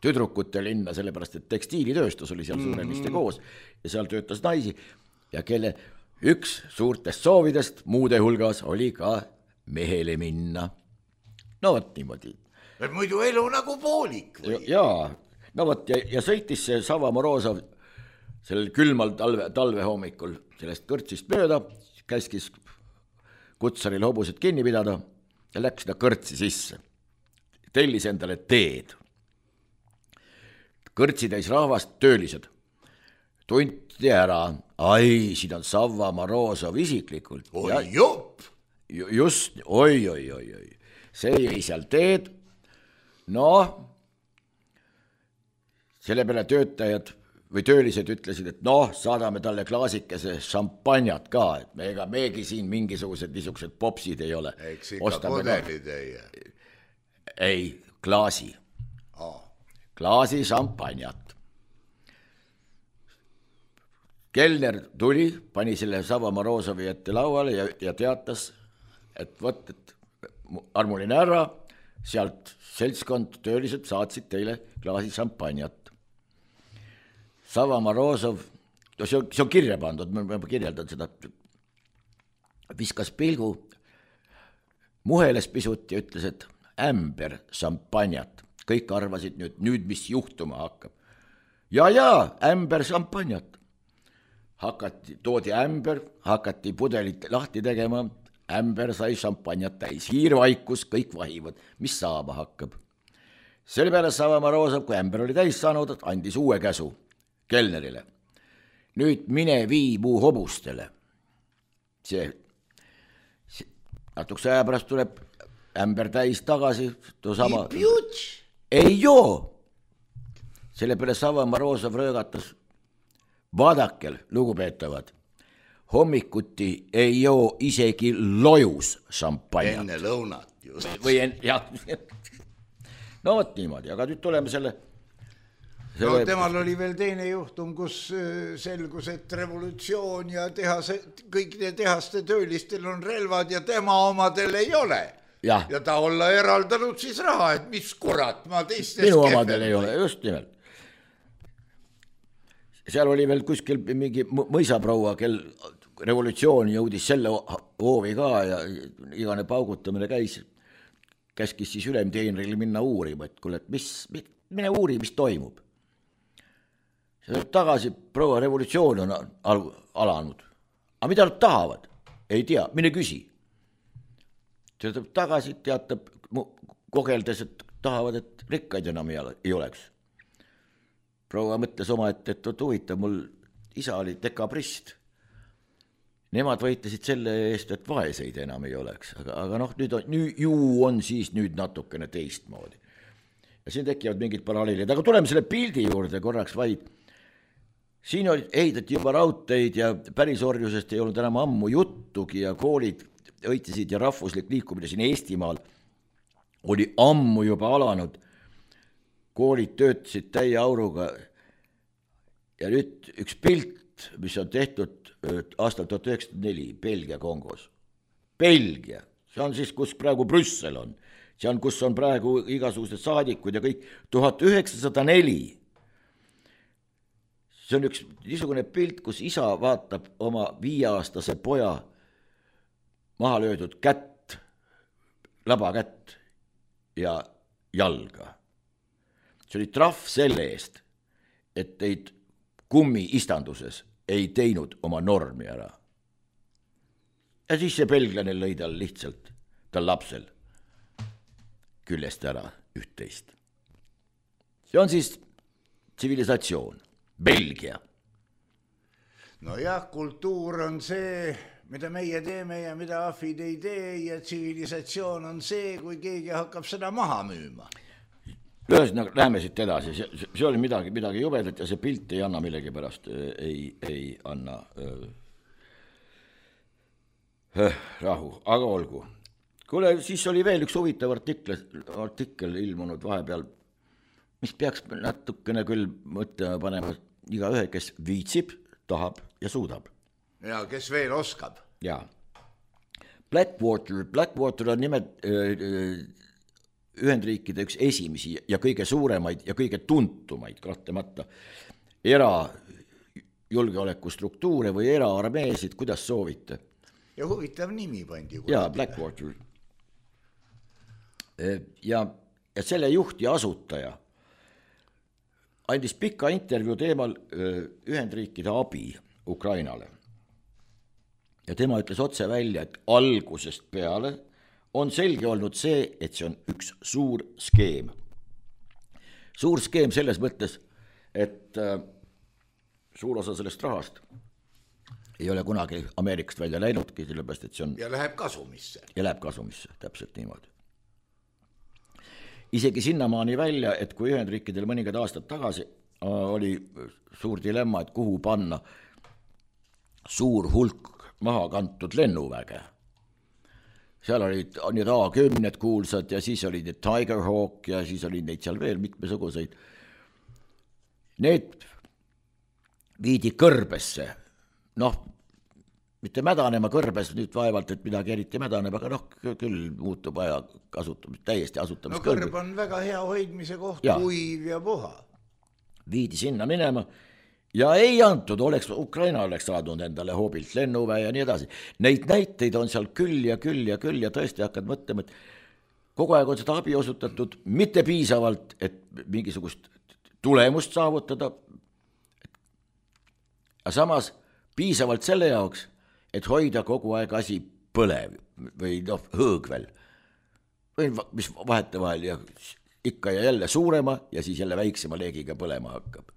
tüdrukute linna, sellepärast et tekstiilitööstus oli seal suuremiste mm-hmm. koos ja seal töötas naisi ja kelle üks suurtest soovidest muude hulgas oli ka mehele minna. No võt niimoodi. Et muidu elu nagu poolik või? Jaa, no võt ja, ja sõitis see Sava Morozov sellel külmal talve, talve hommikul sellest kõrtsist mööda, käskis kutsaril hobused kinni pidada ja läks seda kõrtsi sisse. Tellis endale teed. Kõrtsi täis rahvast, töölised. Tunti ära, ai, siin on Sava Morozov isiklikult. Oi ja, jopp! Just, oi, oi, oi, oi. See jäi seal teed. No, selle peale töötajad või töölised ütlesid, et noh, saadame talle klaasikese šampanjat ka, et me ega meegi siin mingisugused niisugused popsid ei ole. Eks ikka pudelid ei. Ei, klaasi. Oh. Klaasi šampanjat. Kelner tuli, pani selle Sava Morozovi ette lauale ja, ja teatas, et võt, et armuline ära, sealt seltskond töölised saatsid teile klaasi šampanjat. Sava Morozov, see on, see on kirja pandud, ma kirjeldan seda, viskas pilgu, muheles pisut ja ütles, et ämber šampanjat. Kõik arvasid nüüd, nüüd mis juhtuma hakkab. Ja, ja, ämber šampanjat. Hakati, toodi ämber, hakati pudelit lahti tegema, ämber sai šampanjat täis. Hiirvaikus, kõik vahivad, mis saama hakkab. Selle peale Sava Morozov, kui ämber oli täis saanud, andis uue käsu Kelnerile. Nüüd mine vii muu hobustele. See, see natukese aja pärast tuleb ämber täis tagasi. Sama, ei joo. Selle peale Sava Morozov röögatas. Vaadakel, lugupeetavad, hommikuti ei joo isegi lojus šampanjat. Enne lõunat just. Või en, jah. No võt niimoodi, aga nüüd tuleme selle No temal oli veel teine juhtum, kus selgus, et revolutsioon ja tehase, kõikide tehaste töölistel on relvad ja tema omadel ei ole. Ja, ja ta olla eraldanud siis raha, et mis kurat, ma teistes minu omadel ei ole, just nimelt. Seal oli veel kuskil mingi mõisaproua, kel revolutsioon jõudis selle hoovi ka ja igane paugutamine käis, käskis siis ülemteenril minna uurima, et kuule, et mis, mine uuri, mis toimub. See tagasi proua revolutsioon on al- alanud. Aga mida nad tahavad? Ei tea, mine küsi. Teatab tagasi, teatab kogeldes, et tahavad, et rikkaid enam ei oleks. Proua mõtles oma, et, et huvitav, mul isa oli dekabrist. nemad võitlesid selle eest, et vaeseid enam ei oleks, aga, aga noh, nüüd on, nüüd, ju on siis nüüd natukene teistmoodi. Ja siin tekivad mingid paralleelid, aga tuleme selle pildi juurde korraks vaid. Siin oli, ehitati juba raudteid ja pärisorjusest ei olnud enam ammu juttugi ja koolid õitisid ja rahvuslik liikumine siin Eestimaal oli ammu juba alanud. Koolid töötasid täie auruga ja nüüd üks pilt, mis on tehtud aastal tuhat üheksasada neli Belgia Kongos. Belgia, see on siis, kus praegu Brüssel on. See on, kus on praegu igasugused saadikud ja kõik tuhat üheksasada neli. See on üks niisugune pilt, kus isa vaatab oma viieaastase poja maha löödud kätt, labakätt ja jalga. See oli trahv selle eest, et teid kummi istanduses ei teinud oma normi ära. Ja siis see belglane lõi tal lihtsalt, tal lapsel küljest ära üht-teist. See on siis tsivilisatsioon, Belgia. No jah, kultuur on see, mida meie teeme ja mida ahvid ei tee ja tsivilisatsioon on see, kui keegi hakkab seda maha müüma. Ühesõnaga, läheme siit edasi, see, see oli midagi, midagi jubedat ja see pilt ei anna millegi pärast, ei, ei anna öö, öö, rahu, aga olgu. Kuule, siis oli veel üks huvitav artikkel, artikkel ilmunud vahepeal, mis peaks natukene küll mõtlema panema iga ühe, kes viitsib, tahab ja suudab. Ja kes veel oskab. Ja. Blackwater, Blackwater on nimed Ühendriikide üks esimesi ja kõige suuremaid ja kõige tuntumaid kahtlemata era julgeolekustruktuure või eraarmeesid, kuidas soovite. Ja huvitav nimi pandi. Ja, Blackwater. Ja, ja selle juht ja asutaja andis pika intervjuu teemal Ühendriikide abi Ukrainale. Ja tema ütles otse välja, et algusest peale on selge olnud see, et see on üks suur skeem. Suur skeem selles mõttes, et suur osa sellest rahast ei ole kunagi Ameerikast välja läinudki, sellepärast, et see on... Ja läheb kasumisse. Ja läheb kasumisse, täpselt niimoodi. Isegi sinnamaani välja, et kui Ühendriikidel mõningad aastad tagasi oli suur dilemma, et kuhu panna suur hulk maha kantud lennuväge. Seal olid need A kümned kuulsad ja siis olid need Tiger Hawk ja siis olid neid seal veel mitmesuguseid. Need viidi kõrbesse. Noh, mitte mädanema kõrbes nüüd vaevalt, et midagi eriti mädaneb, aga noh, küll muutub aja kasutamist, täiesti asutamiskõrb. No kõrb on väga hea hoidmise koht, ja. Kuiv ja puha. Viidi sinna minema ja ei antud, oleks, Ukraina oleks saadnud endale hobilt lennuväe ja nii edasi. Neid näiteid on seal küll ja küll ja küll ja tõesti hakkad mõtlema, et kogu aeg on seda abi osutatud mitte piisavalt, et mingisugust tulemust saavutada, aga samas piisavalt selle jaoks, et hoida kogu aeg asi põlev või noh, hõõgvel. Või mis vahete vahel ja ikka ja jälle suurema ja siis jälle väiksema leegiga põlema hakkab.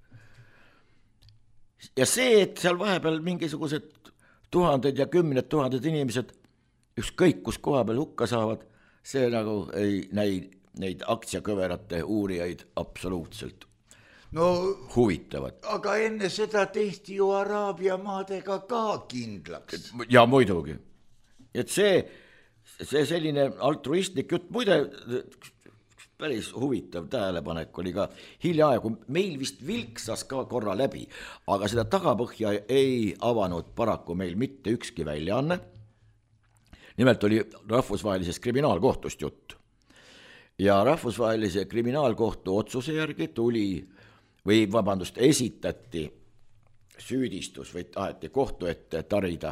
Ja see, et seal vahepeal mingisugused tuhanded ja kümned tuhanded inimesed ükskõik kus koha peal hukka saavad, see nagu ei näi neid aktsiakõverate uurijaid absoluutselt no, huvitavad. Aga enne seda tehti ju Araabia maadega ka kindlaks. Ja muidugi. Et see, see selline altruistlik jutt, muide päris huvitav tähelepanek oli ka hiljaaegu, meil vist vilksas ka korra läbi, aga seda tagapõhja ei avanud paraku meil mitte ükski väljaanne. Nimelt oli rahvusvahelisest kriminaalkohtust jutt. Ja rahvusvahelise kriminaalkohtu otsuse järgi tuli või vabandust, esitati süüdistus või taheti kohtu ette tarida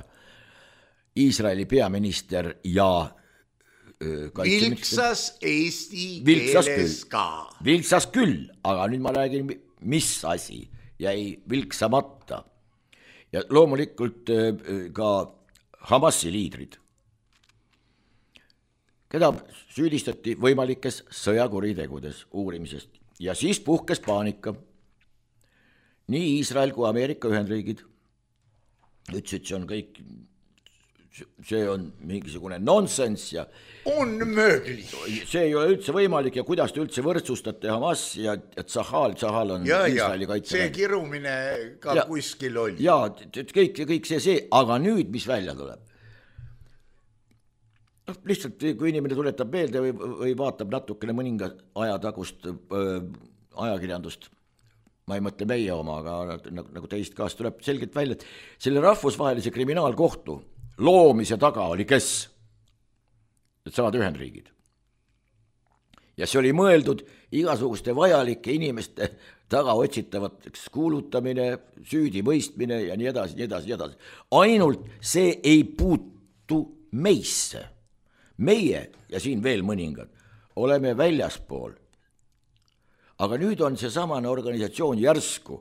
Iisraeli peaminister ja vilksas eesti vilksas keeles küll. Ka. Vilksas küll, aga nüüd ma räägin, mis asi jäi vilksamata. Ja loomulikult ka Hamasi liidrid, keda süüdistati võimalikes sõjakuritegudes uurimisest ja siis puhkes paanika. Nii Iisrael kui Ameerika Ühendriigid ütlesid, see on kõik see on mingisugune nonsense ja unmöglich. See ei ole üldse võimalik ja kuidas te üldse võrdsustate Hamas ja Tsahal, Tsahal on ja, Iisraeli kaitse. See kirumine ka ja, kuskil oli. Ja, kõik, kõik see, see, aga nüüd, mis välja tuleb? No, lihtsalt, kui inimene tuletab meelde või, või vaatab natukene mõninga ajatagust äh, ajakirjandust, ma ei mõtle meie oma, aga nagu, nagu teist kaas tuleb selgelt välja, et selle rahvusvahelise kriminaalkohtu loomise taga oli kes? Et saad Ühendriigid. Ja see oli mõeldud igasuguste vajalike inimeste taga otsitavateks kuulutamine, süüdi mõistmine ja nii edasi, nii edasi, nii edasi. Ainult see ei puutu meisse. Meie ja siin veel mõningad oleme väljaspool. Aga nüüd on see samane organisatsioon järsku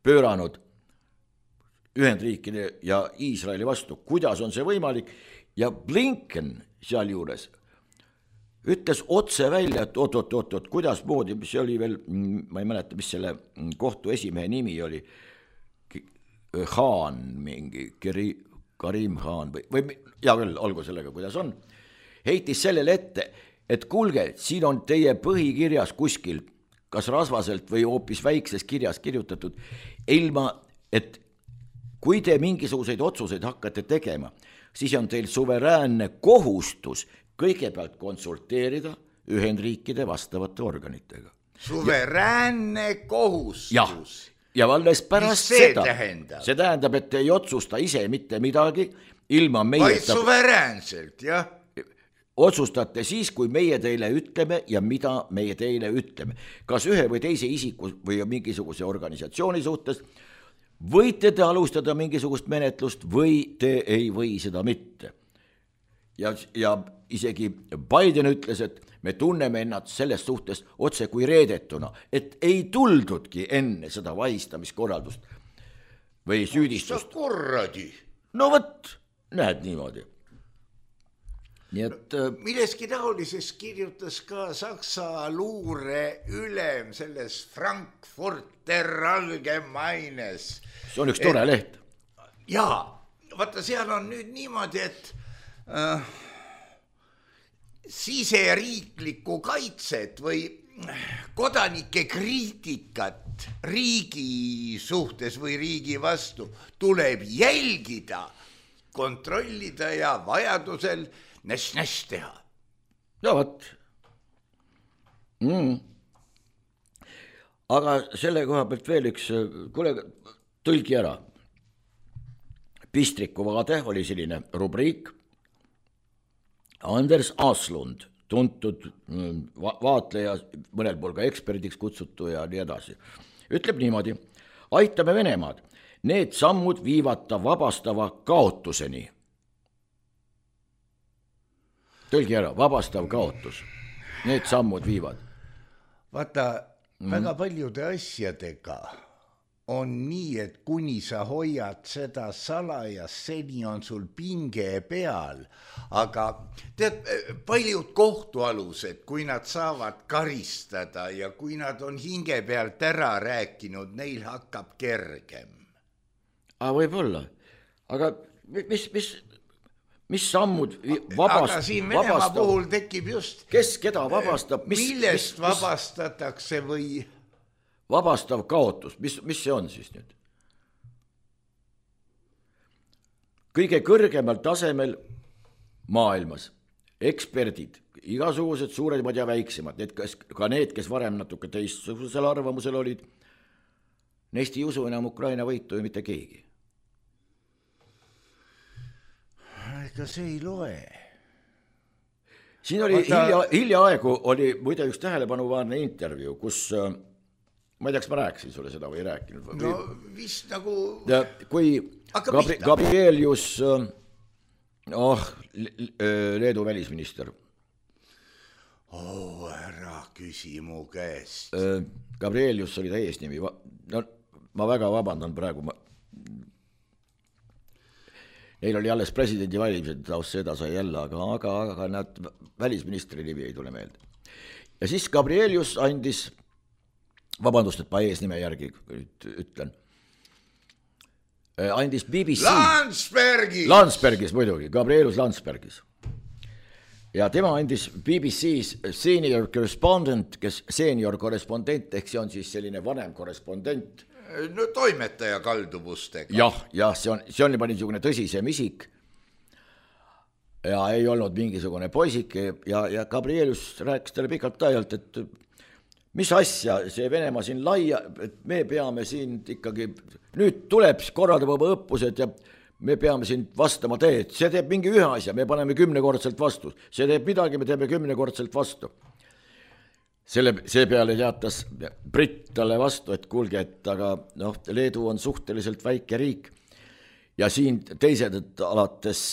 pööranud Ühendriikide ja Iisraeli vastu. Kuidas on see võimalik? Ja Blinken seal juures ütles otse välja, et oot, oot, oot, oot, kuidas moodi, see oli veel, ma ei mäleta, mis selle kohtu esimehe nimi oli, Khan, mingi Karim Khan või, või ja küll, olgu sellega, kuidas on, heitis sellele ette, et kuulge, siin on teie põhikirjas kuskil kas rasvaselt või hoopis väikses kirjas kirjutatud, ilma, et kui te mingisuguseid otsuseid hakkate tegema, siis on teil suveräänne kohustus kõigepealt konsulteerida Ühendriikide vastavate organitega. Suveräänne kohustus? Ja, ja valles pärast mis see seda, tähendab? See tähendab, et te ei otsusta ise mitte midagi, ilma meie... Vaid suveräänselt, jah? Otsustate siis, kui meie teile ütleme ja mida meie teile ütleme. Kas ühe või teise isiku või mingisuguse organisatsiooni suhtes võite te alustada mingisugust menetlust või te ei või seda mitte. Ja, ja isegi Biden ütles, et me tunneme ennast selles suhtes otse kui reedetuna, et ei tuldudki enne seda vahistamiskorraldust või süüdistust. Korradi. No võt, näed niimoodi. Nii et, milleski taolises kirjutas ka Saksa luure ülem selles Frankfurter Allgemeines. See on üks tore leht. Jaa, vaata seal on nüüd niimoodi, et äh, siseriiklikku kaitset või kodanike kriitikat riigi suhtes või riigi vastu tuleb jälgida, kontrollida ja vajadusel näš-näš teha. Ja võt. Mm. Aga selle koha pealt veel üks, kuule, tõlgi ära. Pistriku vaade oli selline rubriik. Anders Aslund, tuntud va- vaatleja, mõnel pool ka eksperdiks kutsutu ja nii edasi. Ütleb niimoodi, aitame Venemaad. Need sammud viivad ta vabastava kaotuseni. Tõlgi ära, vabastav kaotus. Need sammud viivad. Vaata, mm. väga paljude asjadega on nii, et kuni sa hoiad seda salajas, seni on sul pinge peal. Aga tead, paljud kohtualused, kui nad saavad karistada ja kui nad on hinge pealt ära rääkinud, neil hakkab kergem. Aga võib-olla. Aga mis... mis Mis sammud vabast, aga siin Venemaa vabastab, puhul tekib just... Kes keda vabastab? Mis, millest mis, vabastatakse või... Vabastav kaotus, mis, mis see on siis nüüd? Kõige kõrgemal tasemel maailmas eksperdid, igasugused suuremad ja väiksemad, need, kes, ka need, kes varem natuke teistsugusel arvamusel olid, neist ei usu enam Ukraina võitu ju mitte keegi. Ega see ei loe. Siin oli Vaata... hilja, hiljaaegu oli muide üks tähelepanuvaarne intervjuu, kus, ma ei teaks, ma rääkisin sulle seda või ei rääkinud. No vist nagu... Ja, kui Gabri, Gabrielius, oh, Leedu välisminister. Oh, ära küsi mu käest. Gabrielius oli ta eesnimi. No, ma väga vabandan praegu, ma... Neil oli alles presidendi valimised, taust seda sai jälle, aga, aga, aga nad välisministri nimi ei tule meelde. Ja siis Gabrielius andis, vabandust, et ma eesnime järgi ütlen, andis B B C. Landsbergis! Landsbergis muidugi, Gabrielus Landsbergis. Ja tema andis B B C's senior correspondent, kes senior korrespondent, ehk see on siis selline vanem korrespondent. No toimetaja kalduvustega. Jah, jah, see on, see on juba niisugune tõsisem isik. Ja ei olnud mingisugune poisike ja, ja Gabrielus rääkis talle pikalt ajalt, et mis asja, see Venemaa siin laia, et me peame siin ikkagi, nüüd tuleb korraldama oma õppused ja me peame siin vastama teed, see teeb mingi ühe asja, me paneme kümnekordselt vastu, see teeb midagi, me teeme kümnekordselt vastu. Selle, see peale teatas Britt talle vastu, et kuulge, et aga noh, Leedu on suhteliselt väike riik ja siin teised, et alates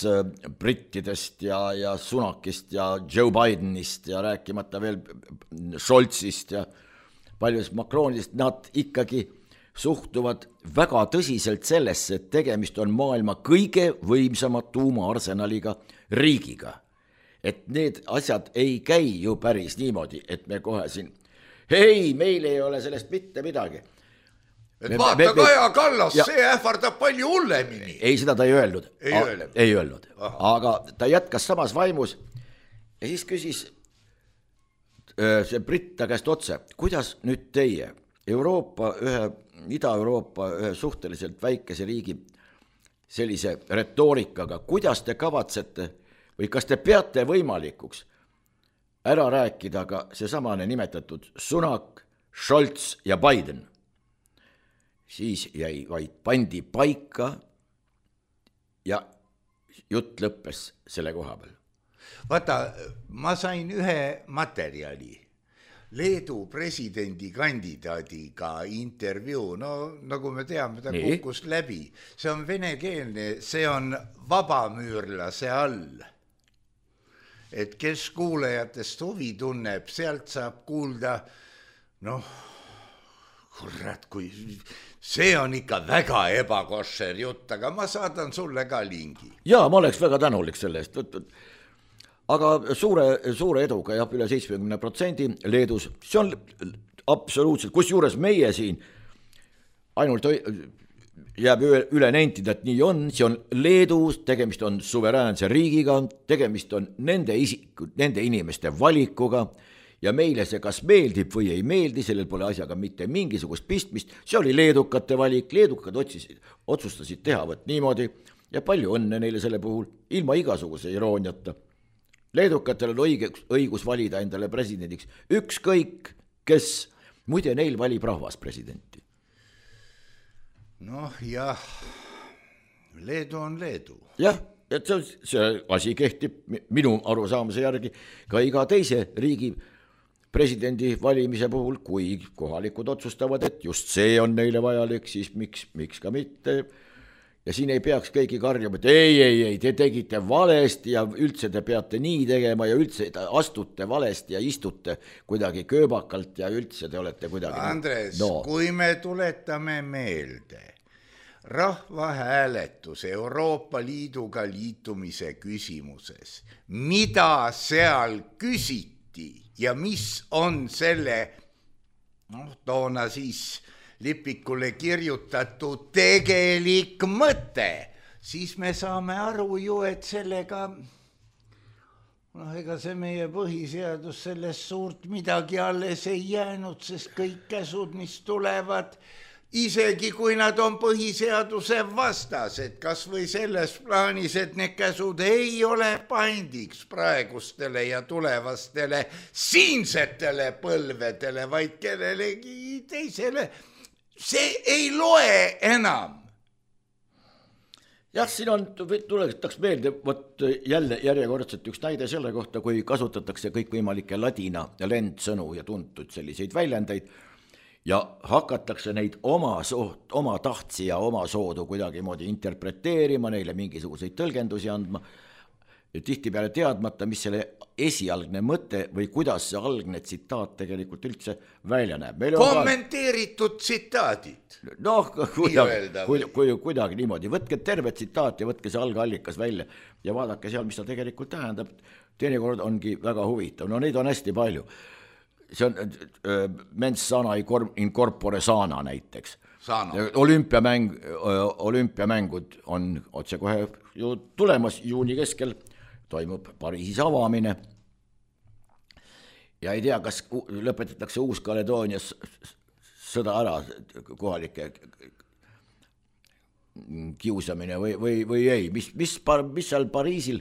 brittidest ja, ja Sunakist ja Joe Bidenist ja rääkimata veel Scholzist ja paljust Macronist, nad ikkagi suhtuvad väga tõsiselt sellesse, et tegemist on maailma kõige võimsama tuumaarsenaliga riigiga. Et need asjad ei käi ju päris niimoodi, et me kohe siin, hei, meil ei ole sellest mitte midagi. Et me, vaata me, me, Kaja Kallas, ja, see ähvardab palju hullemini. Ei, seda ta ei öelnud. Ei A, öelnud. Ei öelnud. Aga ta jätkas samas vaimus ja siis küsis see Britt ta käest otse, kuidas nüüd teie Euroopa ühe, Ida-Euroopa ühe suhteliselt väikese riigi sellise retoorikaga, kuidas te kavatsete või kas te peate võimalikuks ära rääkida ka see samane nimetatud Sunak, Scholz ja Biden? Siis jäi vaid pandi paika ja jutt lõppes selle koha peal. Vaata, ma sain ühe materjali, Leedu presidendi kandidaadiga intervjuu, no nagu me teame, ta Nii. kukkus läbi. See on venekeelne, see on vabamüürlase all. Et kes kuulajatest huvi tunneb, sealt saab kuulda, noh, kurat, kui see on ikka väga ebakošer jutt, aga ma saadan sulle ka lingi. Jaa, ma oleks väga tänulik selle eest. Aga suure, suure eduga jah, üle seitsmekümne protsendi Leedus, see on absoluutselt, kus juures meie siin ainult jääb üle nentida, et nii on, see on Leedus, tegemist on suveräänse riigiga, tegemist on nende, isikud, nende inimeste valikuga ja meile see kas meeldib või ei meeldi, sellel pole asjaga mitte mingisugust pistmist, see oli leedukate valik, leedukad otsisid, otsustasid teha võt niimoodi ja palju õnne neile selle puhul, ilma igasuguse irooniata. Leedukatel on õigus, õigus valida endale presidendiks ükskõik, kes muide neil valib rahvas presidenti. Noh jah, Leedu on Leedu. Jah, et see, see asi kehtib minu arusaamise järgi ka iga teise riigi presidendi valimise puhul, kui kohalikud otsustavad, et just see on neile vajalik, siis miks, miks ka mitte. Ja siin ei peaks keegi karjuma, et ei, ei, ei, te tegite valesti ja üldse te peate nii tegema ja üldse astute valesti ja istute kuidagi kööbakalt ja üldse te olete kuidagi... Andres, no. Kui me tuletame meelde rahvahääletus Euroopa Liiduga liitumise küsimuses, mida seal küsiti ja mis on selle, noh, toona siis... lipikule kirjutatud tegelik mõte, siis me saame aru ju, et sellega, noh, ega see meie põhiseadus sellest suurt midagi alles ei jäänud, sest kõik käsud, mis tulevad, isegi kui nad on põhiseaduse vastased, kas või selles plaanis, et need käsud ei ole pandiks praegustele ja tulevastele siinsetele põlvedele, vaid kellelegi teisele, see ei loe enam. Jah, siin on, tuletaks meelde, võt jälle järjekordselt üks näide selle kohta, kui kasutatakse kõikvõimalikke ladina ja lendsõnu ja tuntud selliseid väljendeid ja hakatakse neid oma, soot, oma tahtsi ja oma soodu kuidagi moodi interpreteerima, neile mingisuguseid tõlgendusi andma, tihti peale teadmata, mis selle esialgne mõte või kuidas see algne tsitaat tegelikult üldse välja näeb. Kommenteeritud ka... tsitaadid. Noh, kuidagi, kuidagi, kuidagi niimoodi. Võtke terve tsitaat ja võtke see algallikas välja ja vaadake seal, mis ta tegelikult tähendab. Teinekord ongi väga huvitav. No neid on hästi palju. see on mens sana in corpore sana näiteks. Sana. Olümpiamäng, olümpiamängud on otse kohe ju tulemas juuni keskel, toimub Pariisis avamine ja ei tea, kas lõpetatakse Uus-Kaledoonias sõda ära kohalike kiusamine või, või, või ei, mis, mis, mis seal Pariisil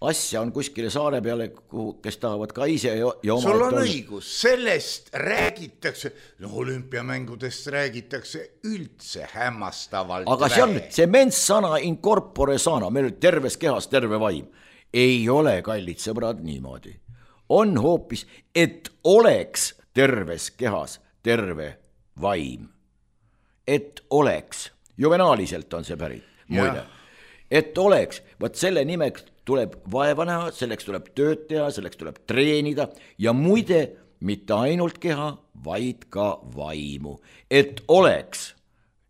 asja on kuskile saare peale, kuhu, kes tahavad ka ise ja, ja oma... Sul on õigus, sellest räägitakse, no olümpiamängudest räägitakse üldse hämmastavalt. Aga see on see mens sana in corpore sana, meil terves kehas terve vaim. Ei ole, kallid sõbrad, niimoodi. On hoopis, et oleks terves kehas terve vaim. Et oleks. Juvenaaliselt on see pärit, muide. Et oleks, võt selle nimeks tuleb vaeva näha, selleks tuleb tööd teha, selleks tuleb treenida ja muide mitte ainult keha, vaid ka vaimu. Et oleks,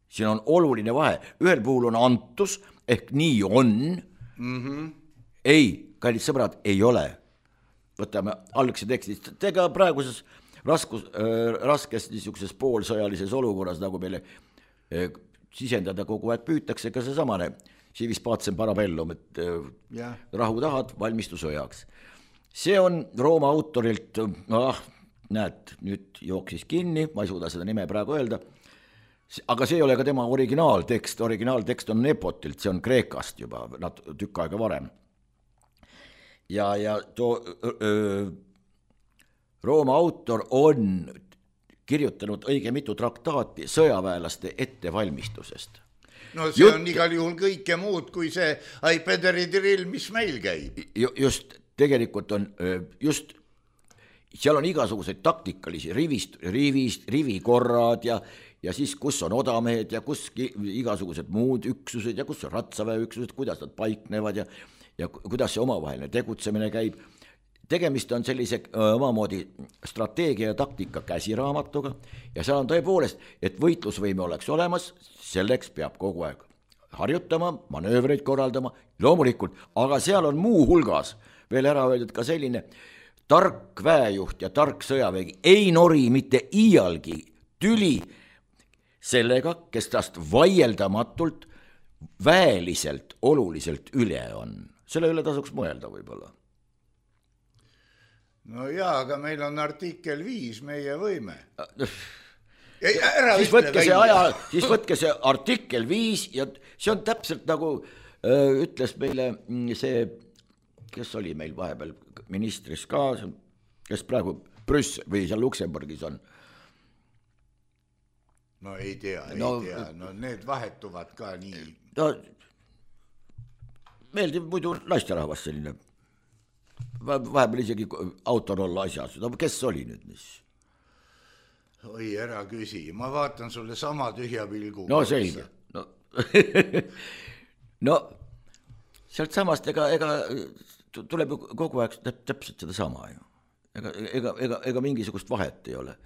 siin on oluline vahe, ühel puhul on antus, ehk nii on, mm-hmm. ei, kallid sõbrad, ei ole. Võtame algse tekstist, ega praeguses raskus, äh, raskes niisuguses poolsõjalises olukorras, nagu meile äh, sisendada kogu aeg püütakse, ka see samane Civis pacem parabellum, et ja. Rahu tahad, valmistu sõjaks. See on Rooma autorilt, ah, näed, nüüd jooksis kinni, ma ei suuda seda nime praegu öelda, aga see ei ole ka tema originaaltekst, originaaltekst on Nepotilt, see on Kreekast juba tükk aega varem. Ja, ja too, öö, Rooma autor on kirjutanud õige mitu traktaati sõjaväelaste ettevalmistusest. No see Jut... on igal juhul kõike muud kui see iPaderi drill, mis meil käib. Just, tegelikult on just, seal on igasuguseid taktikalisi rivist, rivist, rivikorrad ja, ja siis kus on odamehed ja kus igasugused muud üksused ja kus on ratsaväe üksused, kuidas nad paiknevad ja, ja kuidas see omavaheline tegutsemine käib. Tegemist on sellise omamoodi strateegia ja taktika käsiraamatuga ja seal on tõepoolest, et võitlusvõime oleks olemas, selleks peab kogu aeg harjutama, manöövreid korraldama, loomulikult, aga seal on muu hulgas veel ära öeldud ka selline tark väejuht ja tark sõjavägi ei nori mitte iialgi tüli sellega, kes tast vaieldamatult väeliselt oluliselt üle on. Selle üle tasuks mõelda võib-olla. No jaa, aga meil on artikkel viis, meie võime. Ei, siis, võtke see aja, siis võtke see artikkel viis ja see on täpselt nagu öö, ütles meile see, kes oli meil vahepeal ministris ka, kes praegu Brüssel või seal Luksemburgis on. No ei tea, ei no, tea, no need vahetuvad ka nii. No, meeldib muidu naisterahvas selline. Vahepeal isegi autor olla asjas, no kes oli nüüd mis? Oi, ära küsi, ma vaatan sulle sama tühja pilgu. No selge, no, no sealt samast ega, ega tuleb kogu aeg täpselt seda sama ju. Ega, ega, ega, ega mingisugust vahet ei ole.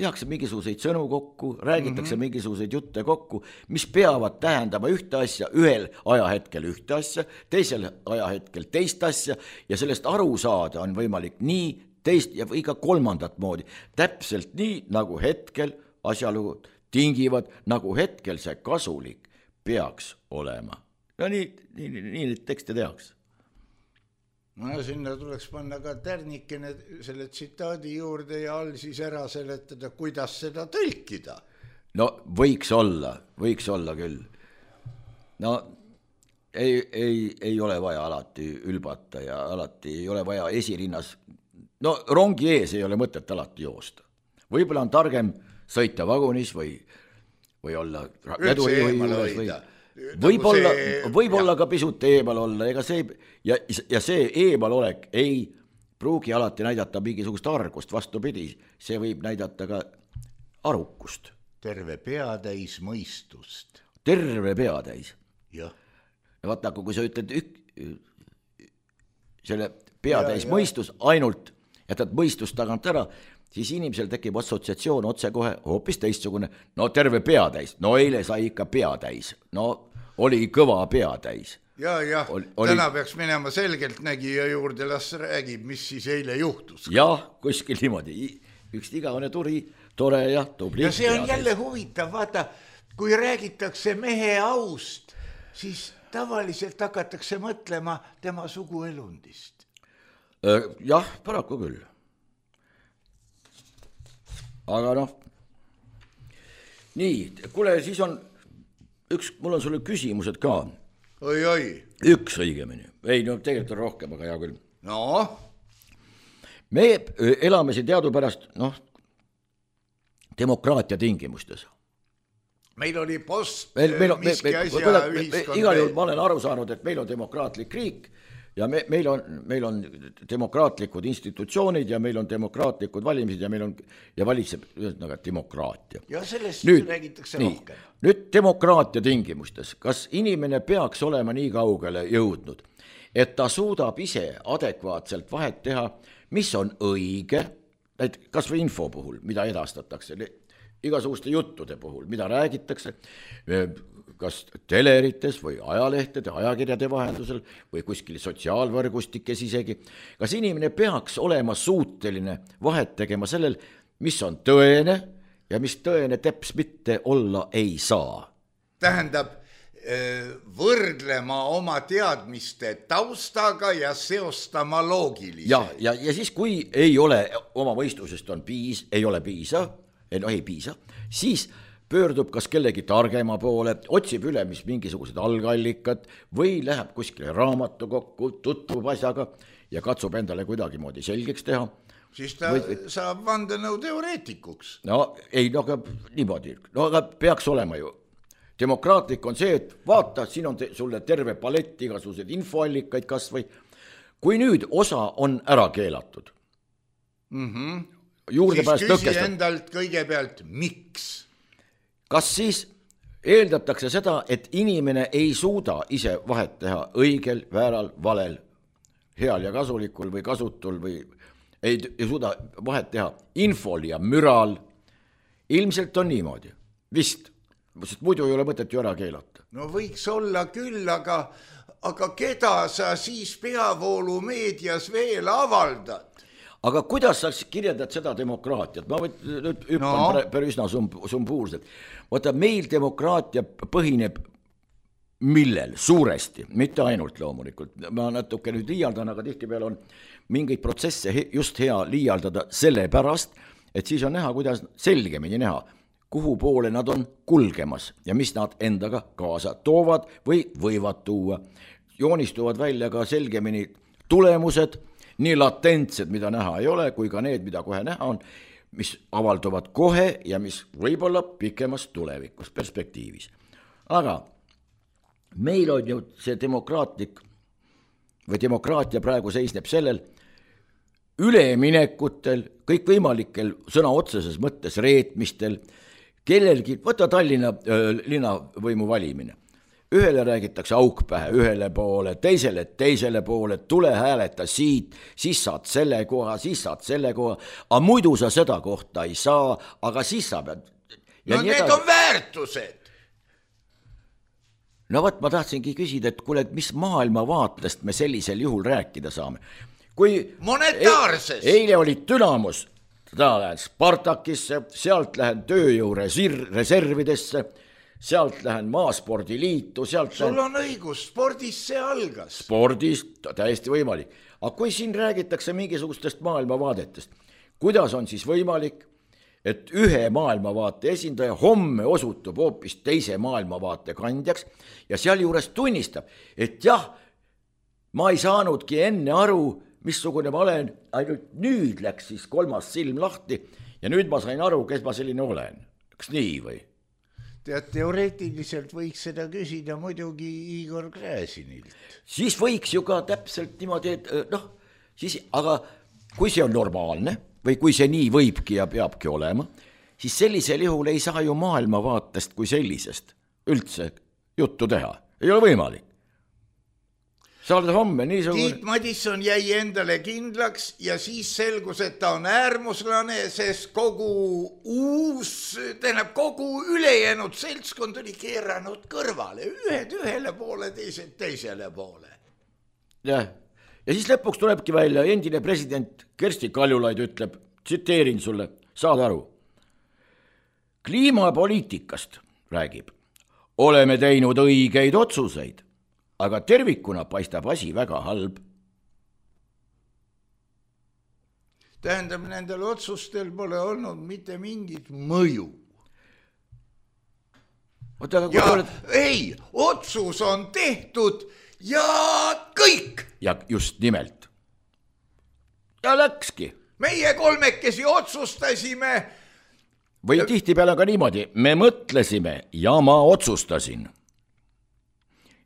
Tehakse mingisuguseid sõnu kokku, räägitakse mm-hmm. mingisuguseid jutte kokku, mis peavad tähendama ühte asja, ühel ajahetkel ühte asja, teisel ajahetkel teist asja ja sellest aru saada on võimalik nii teist ja või ka kolmandat moodi. Täpselt nii, nagu hetkel asjalugud tingivad, nagu hetkel see kasulik peaks olema. No nii, nii, nii, nii neid tekste tehakse. No sinna tuleks panna ka tärnikene selle tsitaadi juurde ja all siis ära seletada, kuidas seda tõlkida. No võiks olla, võiks olla küll. No ei, ei, ei ole vaja alati ülbata ja alati ei ole vaja esirinnas. No rongi ees ei ole mõtet alati joosta. Võib-olla on targem sõita vagunis või, või olla vedurijuhi juures või... Võib-olla, võib-olla ka pisut eemal olla, ega see, ja, ja see eemalolek ei pruugi alati näidata mingisugust argust, vastupidi, see võib näidata ka arukust. Terve peatäis mõistust. Terve peatäis. Jah. Ja vaata, kui sa ütled ük, selle peatäis ja, mõistus ainult, jätad mõistust tagant ära, siis inimesel tekib assotsiatsioon otse kohe hoopis teistsugune, no terve peatäis, no eile sai ikka peatäis, no oli kõva peatäis. ja, jah, oli... täna peaks minema selgelt nägija juurde, las räägib, mis siis eile juhtus. Jah, kuskil niimoodi, üks igavene turi, tore ja tubli. Ja see on jälle huvitav, vaata, kui räägitakse mehe aust, siis tavaliselt hakatakse mõtlema tema suguelundist. Jah, paraku küll. Aga noh, nii, kuule, siis on üks, mul on sulle küsimused ka. Oi, oi. Üks õigemini. Ei, no tegelikult on rohkem, aga hea küll. No? Me elame siin teadupärast, noh, demokraatia tingimustes. Meil oli post meil, meil on, miski me, me, asja me, ühiskond. Igal juhul ma olen aru saanud, et meil on demokraatlik riik ja me, meil, on, meil on demokraatlikud institutsioonid ja meil on demokraatlikud valimised ja meil on ja valitseb ühesõnaga demokraatia. Ja sellest nüüd, räägitakse nii, rohkem. Nüüd demokraatia tingimustes, kas inimene peaks olema nii kaugele jõudnud, et ta suudab ise adekvaatselt vahet teha, mis on õige, kas või info puhul, mida edastatakse, igasuguste juttude puhul, mida räägitakse, kas telerites või ajalehtede, ajakirjade vahendusel või kuskil sotsiaalvõrgustikes isegi. Kas inimene peaks olema suuteline vahet tegema sellel, mis on tõene ja mis tõene teps mitte olla ei saa? Tähendab, võrdlema oma teadmiste taustaga ja seostama loogiliselt. Ja, ja, ja siis, kui ei ole oma mõistusest on piis, ei ole piisa, no ei piisa, siis pöördub kas kellegi targema poole, otsib üle mis mingisugused algallikad või läheb kuskile raamatu kokku, tutvub asjaga ja katsub endale kuidagi moodi selgeks teha. Siis ta või, saab vandenõu teoreetikuks. No ei, no aga niimoodi, no aga peaks olema ju. Demokraatlik on see, et vaata, siin on te, sulle terve palett igasugused infoallikaid kas või, kui nüüd osa on ära keelatud. Mm-hmm. Juurdepääs siis küsi tõkestab. endalt kõigepealt, miks? Kas siis eeldatakse seda, et inimene ei suuda ise vahet teha õigel, vääral, valel, heal ja kasulikul või kasutul või ei, ei suuda vahet teha infol ja müral? Ilmselt on niimoodi, vist, sest muidu ei ole mõtet ju ära keelata. No võiks olla küll, aga, aga keda sa siis peavoolu meedias veel avaldad? Aga kuidas sa kirjeldad seda demokraatiat? Ma võt, nüüd hüppan no. päris üsna sumbuurselt. Vaata, meil demokraatia põhineb millel? Suuresti, mitte ainult loomulikult. Ma natuke nüüd liialdan, aga tihtipeale on mingeid protsesse just hea liialdada selle pärast, et siis on näha, kuidas selgemini näha, kuhu poole nad on kulgemas ja mis nad endaga kaasa toovad või võivad tuua. Joonistuvad välja ka selgemini tulemused, nii latentsed, mida näha ei ole, kui ka need, mida kohe näha on, mis avalduvad kohe ja mis võib-olla pikemas tulevikus perspektiivis. Aga meil on ju see demokraatlik või demokraatia praegu seisneb sellel üleminekutel, kõikvõimalikel sõna otseses mõttes reetmistel, kellelgi, võta Tallinna äh, linnavõimu valimine. Ühele räägitakse auk pähe ühele poole, teisele teisele poole, tule hääleta siit, siis saad selle koha, siis saad selle koha, aga muidu sa seda kohta ei saa, aga siis sa pead... Ja no need edasi. On väärtused. No võt, ma tahtsingi küsida, et kuule, mis maailmavaatest me sellisel juhul rääkida saame. Kui monetaarses. E- eile oli Dünamos, ta lähen Spartakisse, sealt lähen tööjõu reservidesse, sealt lähen maaspordiliitu, sealt sul lähen... on õigus, spordis see algas. Spordis, täiesti võimalik. Aga kui siin räägitakse mingisugustest maailmavaadetest, kuidas on siis võimalik, et ühe maailmavaate esindaja homme osutub hoopis teise maailmavaate kandjaks ja sealjuures tunnistab, et jah, ma ei saanudki enne aru, missugune ma olen, ainult nüüd läks siis kolmas silm lahti ja nüüd ma sain aru, kes ma selline olen. Kas nii või? Tead, teoreetiliselt võiks seda küsida muidugi Igor Gräzinilt. Siis võiks ju ka täpselt niimoodi, et noh, siis, aga kui see on normaalne või kui see nii võibki ja peabki olema, siis sellisel juhul ei saa ju maailmavaatest kui sellisest üldse juttu teha. Ei ole võimalik. sa oled homme niisugune. Tiit Madisson jäi endale kindlaks ja siis selgus, et ta on äärmuslane, sest kogu uus, tähendab kogu ülejäänud seltskond oli keeranud kõrvale, ühed ühele poole, teised teisele poole. Jah, ja siis lõpuks tulebki välja, endine president Kersti Kaljulaid ütleb, tsiteerin sulle, saad aru. Kliimapoliitikast räägib, oleme teinud õigeid otsuseid, aga tervikuna paistab asi väga halb. Tähendab, nendel otsustel pole olnud mitte mingit mõju. Oota, ja oled... ei, otsus on tehtud ja kõik. Ja just nimelt. Ja läkski. Meie kolmekesi otsustasime. Või tihti peale ka niimoodi, me mõtlesime ja ma otsustasin.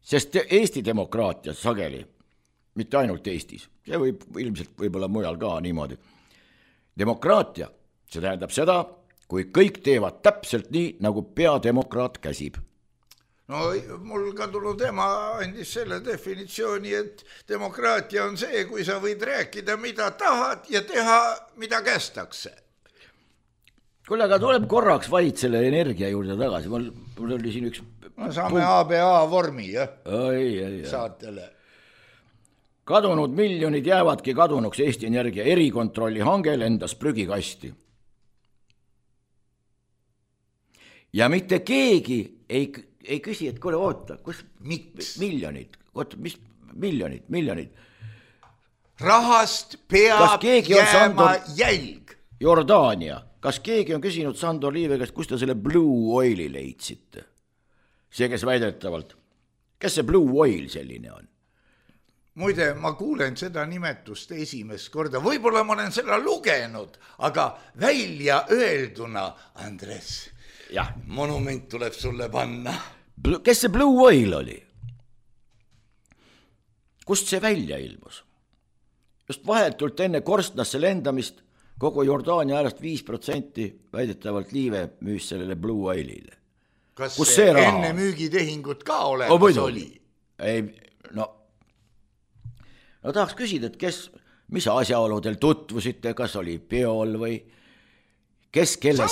Sest Eesti demokraatia sageli, mitte ainult Eestis, see võib ilmselt võib-olla mujal ka niimoodi. Demokraatia, see tähendab seda, kui kõik teevad täpselt nii, nagu peademokraat käsib. No mul kadunud ema andis selle definitsiooni, et demokraatia on see, kui sa võid rääkida, mida tahad ja teha, mida kästakse. Kuule, aga tuleb korraks vaid selle energia juurde tagasi. Mul, mul oli siin üks... No, saame A B A vormi, jah? Ei, ei, ei. Saatele. Kadunud miljonid jäävadki kadunuks Eesti Energia erikontrolli hangel endas prügikasti. Ja mitte keegi ei, ei küsi, et kuule, oota, kus Miks? miljonid, oota, mis miljonid, miljonid. Rahast peab jääma Sandor... jälg. Jordaania. Kas keegi on küsinud Sandor Liive käest, kus te selle Blue Oili leidsite? See, kes väidetavalt, kes see Blue Oil selline on? Muide, ma kuulen seda nimetust esimest korda. Võib-olla ma olen seda lugenud, aga välja öelduna, Andres, ja. Monument tuleb sulle panna. Kes see Blue Oil oli? Kust see välja ilmus? Just vahetult enne korstnasse lendamist kogu Jordaania äärest viis protsenti väidetavalt Liive müüs sellele Blue Oilile. Kas Kus see see enne müügitehingut ka olemas oh, oli? Ei, no, no tahaks küsida, et kes, mis asjaoludel tutvusite, kas oli peol või kes kelle,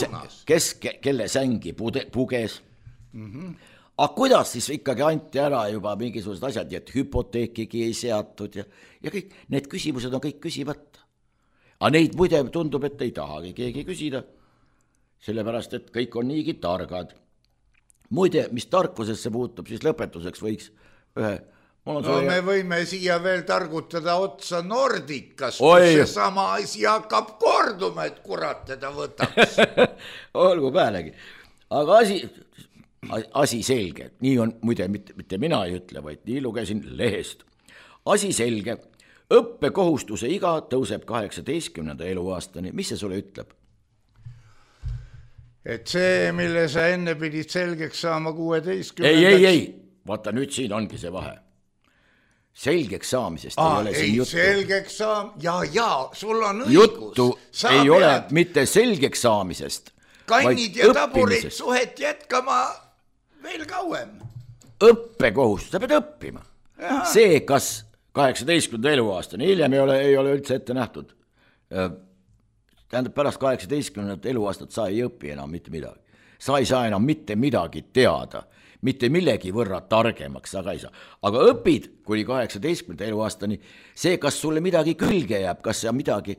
kes, kelle sängi pude, puges. Mm-hmm. Aga kuidas siis ikkagi anti ära juba mingisugused asjad, et hüpoteekigi ei seatud ja, ja kõik need küsimused on kõik küsimata. Aga neid muide tundub, et ei tahagi keegi küsida, sellepärast, et kõik on niigi targad. Muide, mis tarkusesse puutub, siis lõpetuseks võiks ühe... No soja... me võime siia veel targutada otsa Nordicast, Oi. kus see sama asi hakkab korduma, et kurat teda võtaks. Olgu päälegi. Aga asi, asi selge, nii on, muide, mitte, mitte mina ei ütle, vaid nii lugesin lehest. Asi selge, õppekohustuse iga tõuseb kaheksateistkümnenda eluaastani. Mis see sulle ütleb? Et see, mille sa enne pidid selgeks saama kuueteistkümnendaks... Ei, ei, ei, vaata nüüd siin ongi see vahe. Selgeks saamisest Aa, ei ole siin ei, juttu. Selgeks saam... Ja, ja, sul on õigus. Juttu sa ei pead... ole mitte selgeks saamisest, kannid ja taburid suhet jätkama veel kauem. Õppekohustus, sa pead õppima. Aha. See, kas kaheksateistkümnenda eluaastani, hiljem ei ole, ei ole üldse ette nähtud. Tähendab, pärast kaheksateistkümnendat eluaastat sa ei õpi enam mitte midagi. Sa ei saa enam mitte midagi teada, mitte millegi võrra targemaks, aga ei saa. Aga õpid kuni kaheksateistkümnenda eluaastani, see, kas sulle midagi külge jääb, kas sa midagi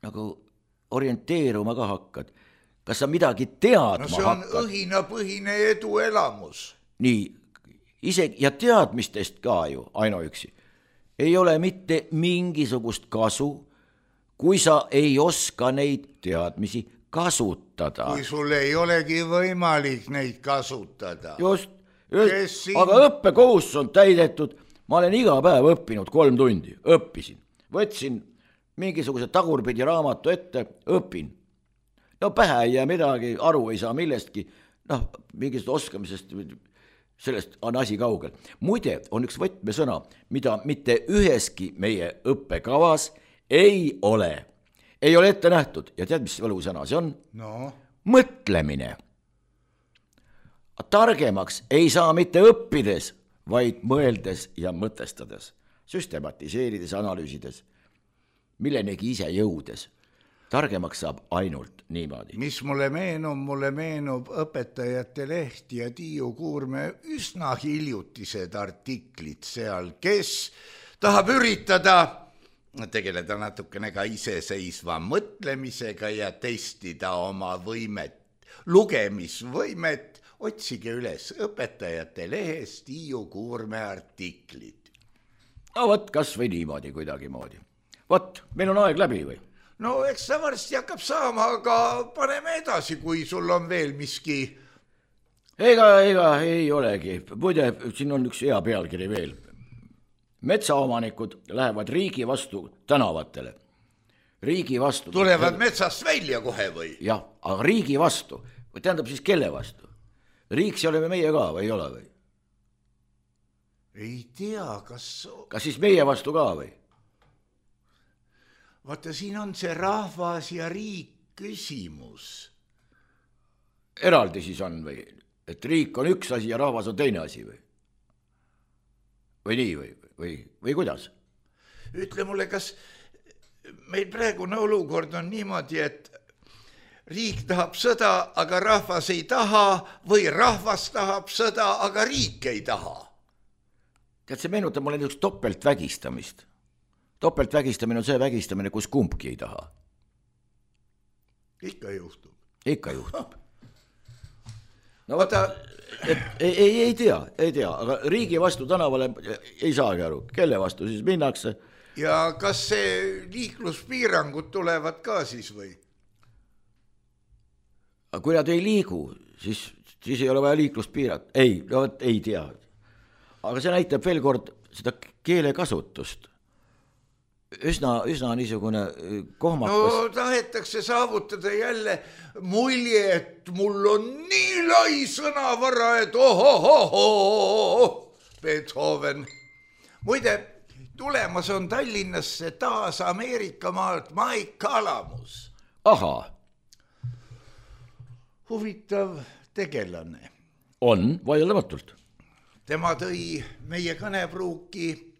nagu orienteeruma ka hakkad, kas sa midagi teadma hakkad. No see on hakkad. Õhinapõhine eduelamus. Nii, ise ja teadmistest ka ju ainuüksi. Ei ole mitte mingisugust kasu, kui sa ei oska neid teadmisi kasutada. Kui sul ei olegi võimalik neid kasutada. Just, just aga õppekohustus on täidetud. Ma olen iga päev õppinud kolm tundi, õppisin. Võtsin mingisuguse tagurpidi raamatu ette, õpin. No pähe ei jää midagi, aru ei saa millestki. Noh, mingist oskamisest, sellest on asi kaugel. Muide, on üks võtmesõna, mida mitte üheski meie õppekavas ei ole. Ei ole ette nähtud. Ja tead, mis võlusõna see on? No. Mõtlemine. Targemaks ei saa mitte õppides, vaid mõeldes ja mõtestades, süstematiseerides, analüüsides, millenegi ise jõudes. Targemaks saab ainult niimoodi. Mis mulle meenub, mulle meenub Õpetajate Leht ja Tiiu Kuurme üsna hiljutised artiklid seal, kes tahab üritada tegeleda natukene ka iseseisva mõtlemisega ja testida oma võimet, lugemisvõimet. Otsige üles Õpetajate Lehes Tiiu Kuurme artiklid. No võt, kas või niimoodi kuidagi moodi. Võt, meil on aeg läbi või? No eks ta varsti hakkab saama, aga paneme edasi, kui sul on veel miski. Ega, ega ei olegi. Muide, siin on üks hea pealkiri veel. Metsaomanikud lähevad riigi vastu tänavatele. Riigi vastu. Tulevad metsast välja kohe või? Jah, aga riigi vastu. Või tähendab siis kelle vastu? Riik see oleme meie ka või ei ole või? Ei tea, kas... Kas siis meie vastu ka või? Vaata, siin on see rahvas ja riik küsimus. Eraldi siis on või? Et riik on üks asi ja rahvas on teine asi või? Või nii või? Või, või kuidas? Ütle mulle, kas meil praegune olukord on niimoodi, et riik tahab sõda, aga rahvas ei taha, või rahvas tahab sõda, aga riik ei taha? Tead, see meenutab mulle niisugust topeltvägistamist. Topeltvägistamine on see vägistamine, kus kumbki ei taha. Ikka juhtub. Ikka juhtub. No vaata, et ei, ei, ei tea, ei tea, aga riigi vastu tänavale ei saagi aru. Kelle vastu siis minnakse? Ja kas see liikluspiirangud tulevad ka siis või? Kui nad ei liigu, siis, siis ei ole vaja liiklust piirata. Ei, no, ei tea. Aga see näitab veel kord seda keelekasutust. Üsna, üsna niisugune kohmakas. No tahetakse saavutada jälle mulje, et mul on nii lai sõnavara, et ohohoho, Beethoven. Muide, tulemas on Tallinnasse taas Ameerika maalt Mike Kalamus. Aha. Huvitav tegelane. On, vaieldamatult. Tema tõi meie kõnepruuki,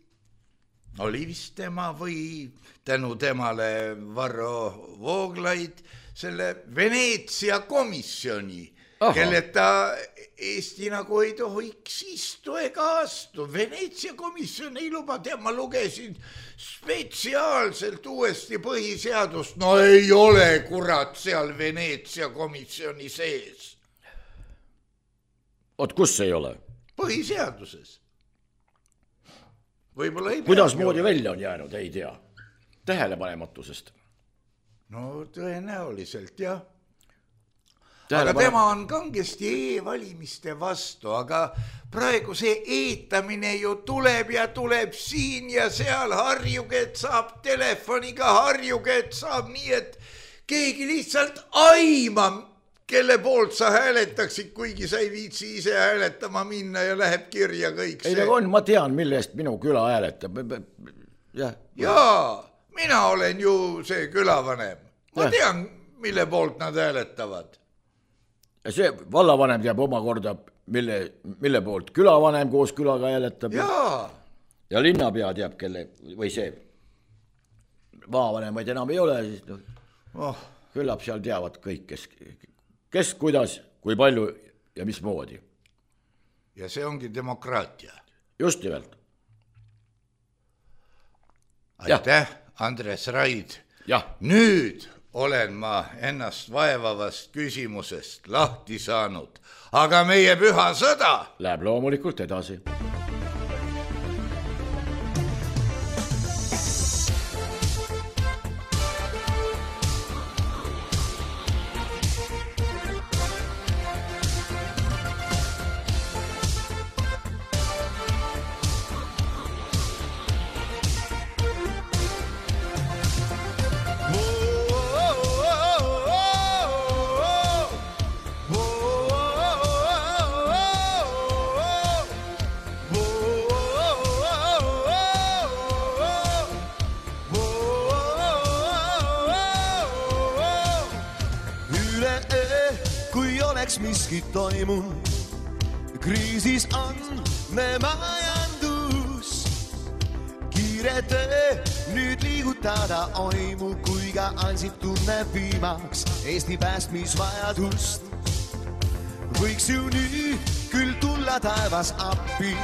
oli vist tema või tänu temale Varro Vooglaid, selle Veneetsia komisjoni, kelleta Eesti nagu ei tohiks istu ega astu. Veneetsia komisjon ei luba, tead, ma lugesin spetsiaalselt uuesti põhiseadust. No ei ole kurat seal Veneetsia komisjoni sees. Oot, kus ei ole? Põhiseaduses. Võib-olla ei Kuidas moodi välja on jäänud, ei tea. Tähelepanematusest. No tõenäoliselt, jah. Tähele aga tema on kangesti e-valimiste vastu, aga praegu see eetamine ju tuleb ja tuleb siin ja seal, harjuge, et saab telefoniga, harjuge, et saab nii, et keegi lihtsalt aima, kelle poolt sa hääletaksid, kuigi sa ei viitsi ise hääletama minna ja läheb kirja kõik see. Ei, on, ma tean, mille eest minu küla hääletab. Ja. Jaa, mina olen ju see külavanem. Ma ja. tean, mille poolt nad hääletavad. Ja see vallavanem teab omakorda, mille, mille poolt külavanem koos külaga hääletab. Jaa. Ja linnapea teab, kelle, või see maavanemaid enam ei ole, siis no, oh. küllap seal teavad kõik, kes, kes, kuidas, kui palju ja mis moodi. Ja see ongi demokraatia. Just nimelt. Aitäh, Andres Raid. Ja. Nüüd olen ma ennast vaevavast küsimusest lahti saanud, aga meie püha sõda läheb loomulikult edasi. kriisis on me majandus. Kiire töö nüüd liigutada oimu, kui ka Ansip tunneb viimaks Eesti päästmisvajadust. Võiks ju nüüd küll tulla taevas appi,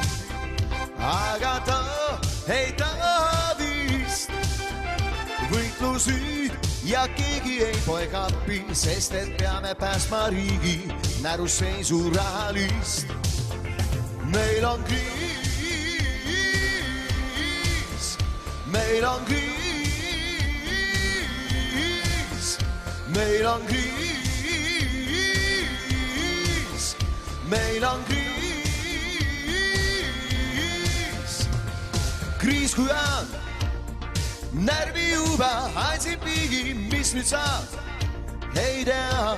aga ta ei taha vist. Võitlus nüüd ja keegi ei poe kappi, sest et peame päästma riigi näruseisu rahalist. Meil on kriis, meil on kriis, meil on kriis, meil on kriis. Kriis kui on närvi juba Ansip viigi, mis nüüd saab, ei tea.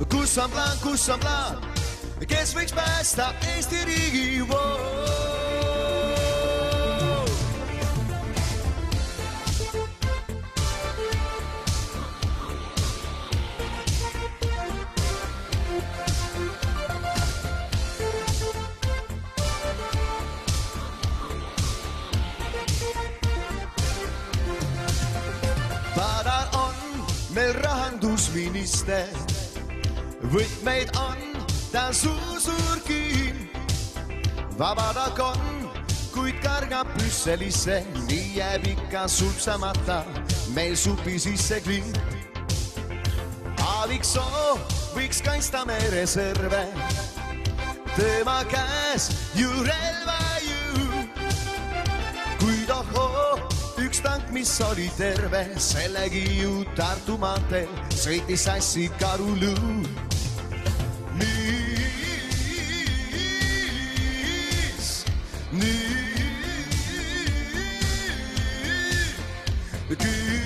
Kus on plaan, kus on plaan, kes võiks päästa Eesti riigi? Wow. Padar on meil rahandusminister, võtmeid on ta suusurkin. Vabadak on, kuid kargab Brüsselisse, nii jääb ikka supsamata meil supi sisse klint. Aaviksoo võiks kaitsta me reserve, tema käes ju relva ju. Kuid ohoo, üks tank, mis oli terve, sellegi ju Tartu maanteel sõitis sassi karuluu. Niis, nüüd küll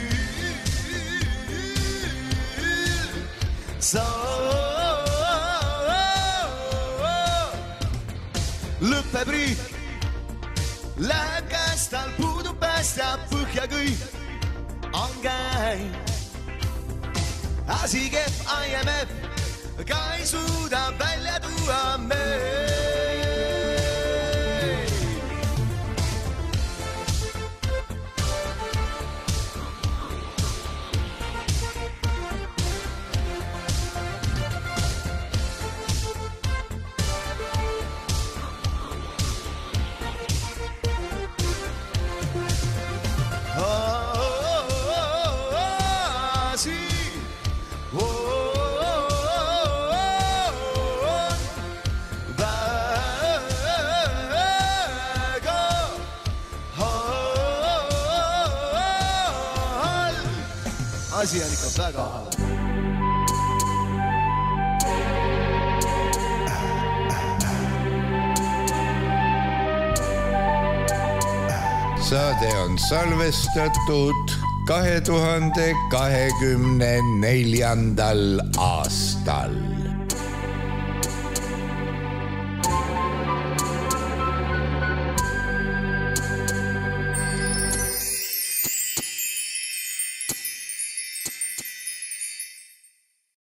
sa lõpeb riik, läheb käest, tal puudub päästja, põhja kõik on käi. Asi kehv I M F, ka ei suuda välja tuua meil. Asi on ikka väga halb. Saade on salvestatud kahe tuhande kahekümne neljandal aastal.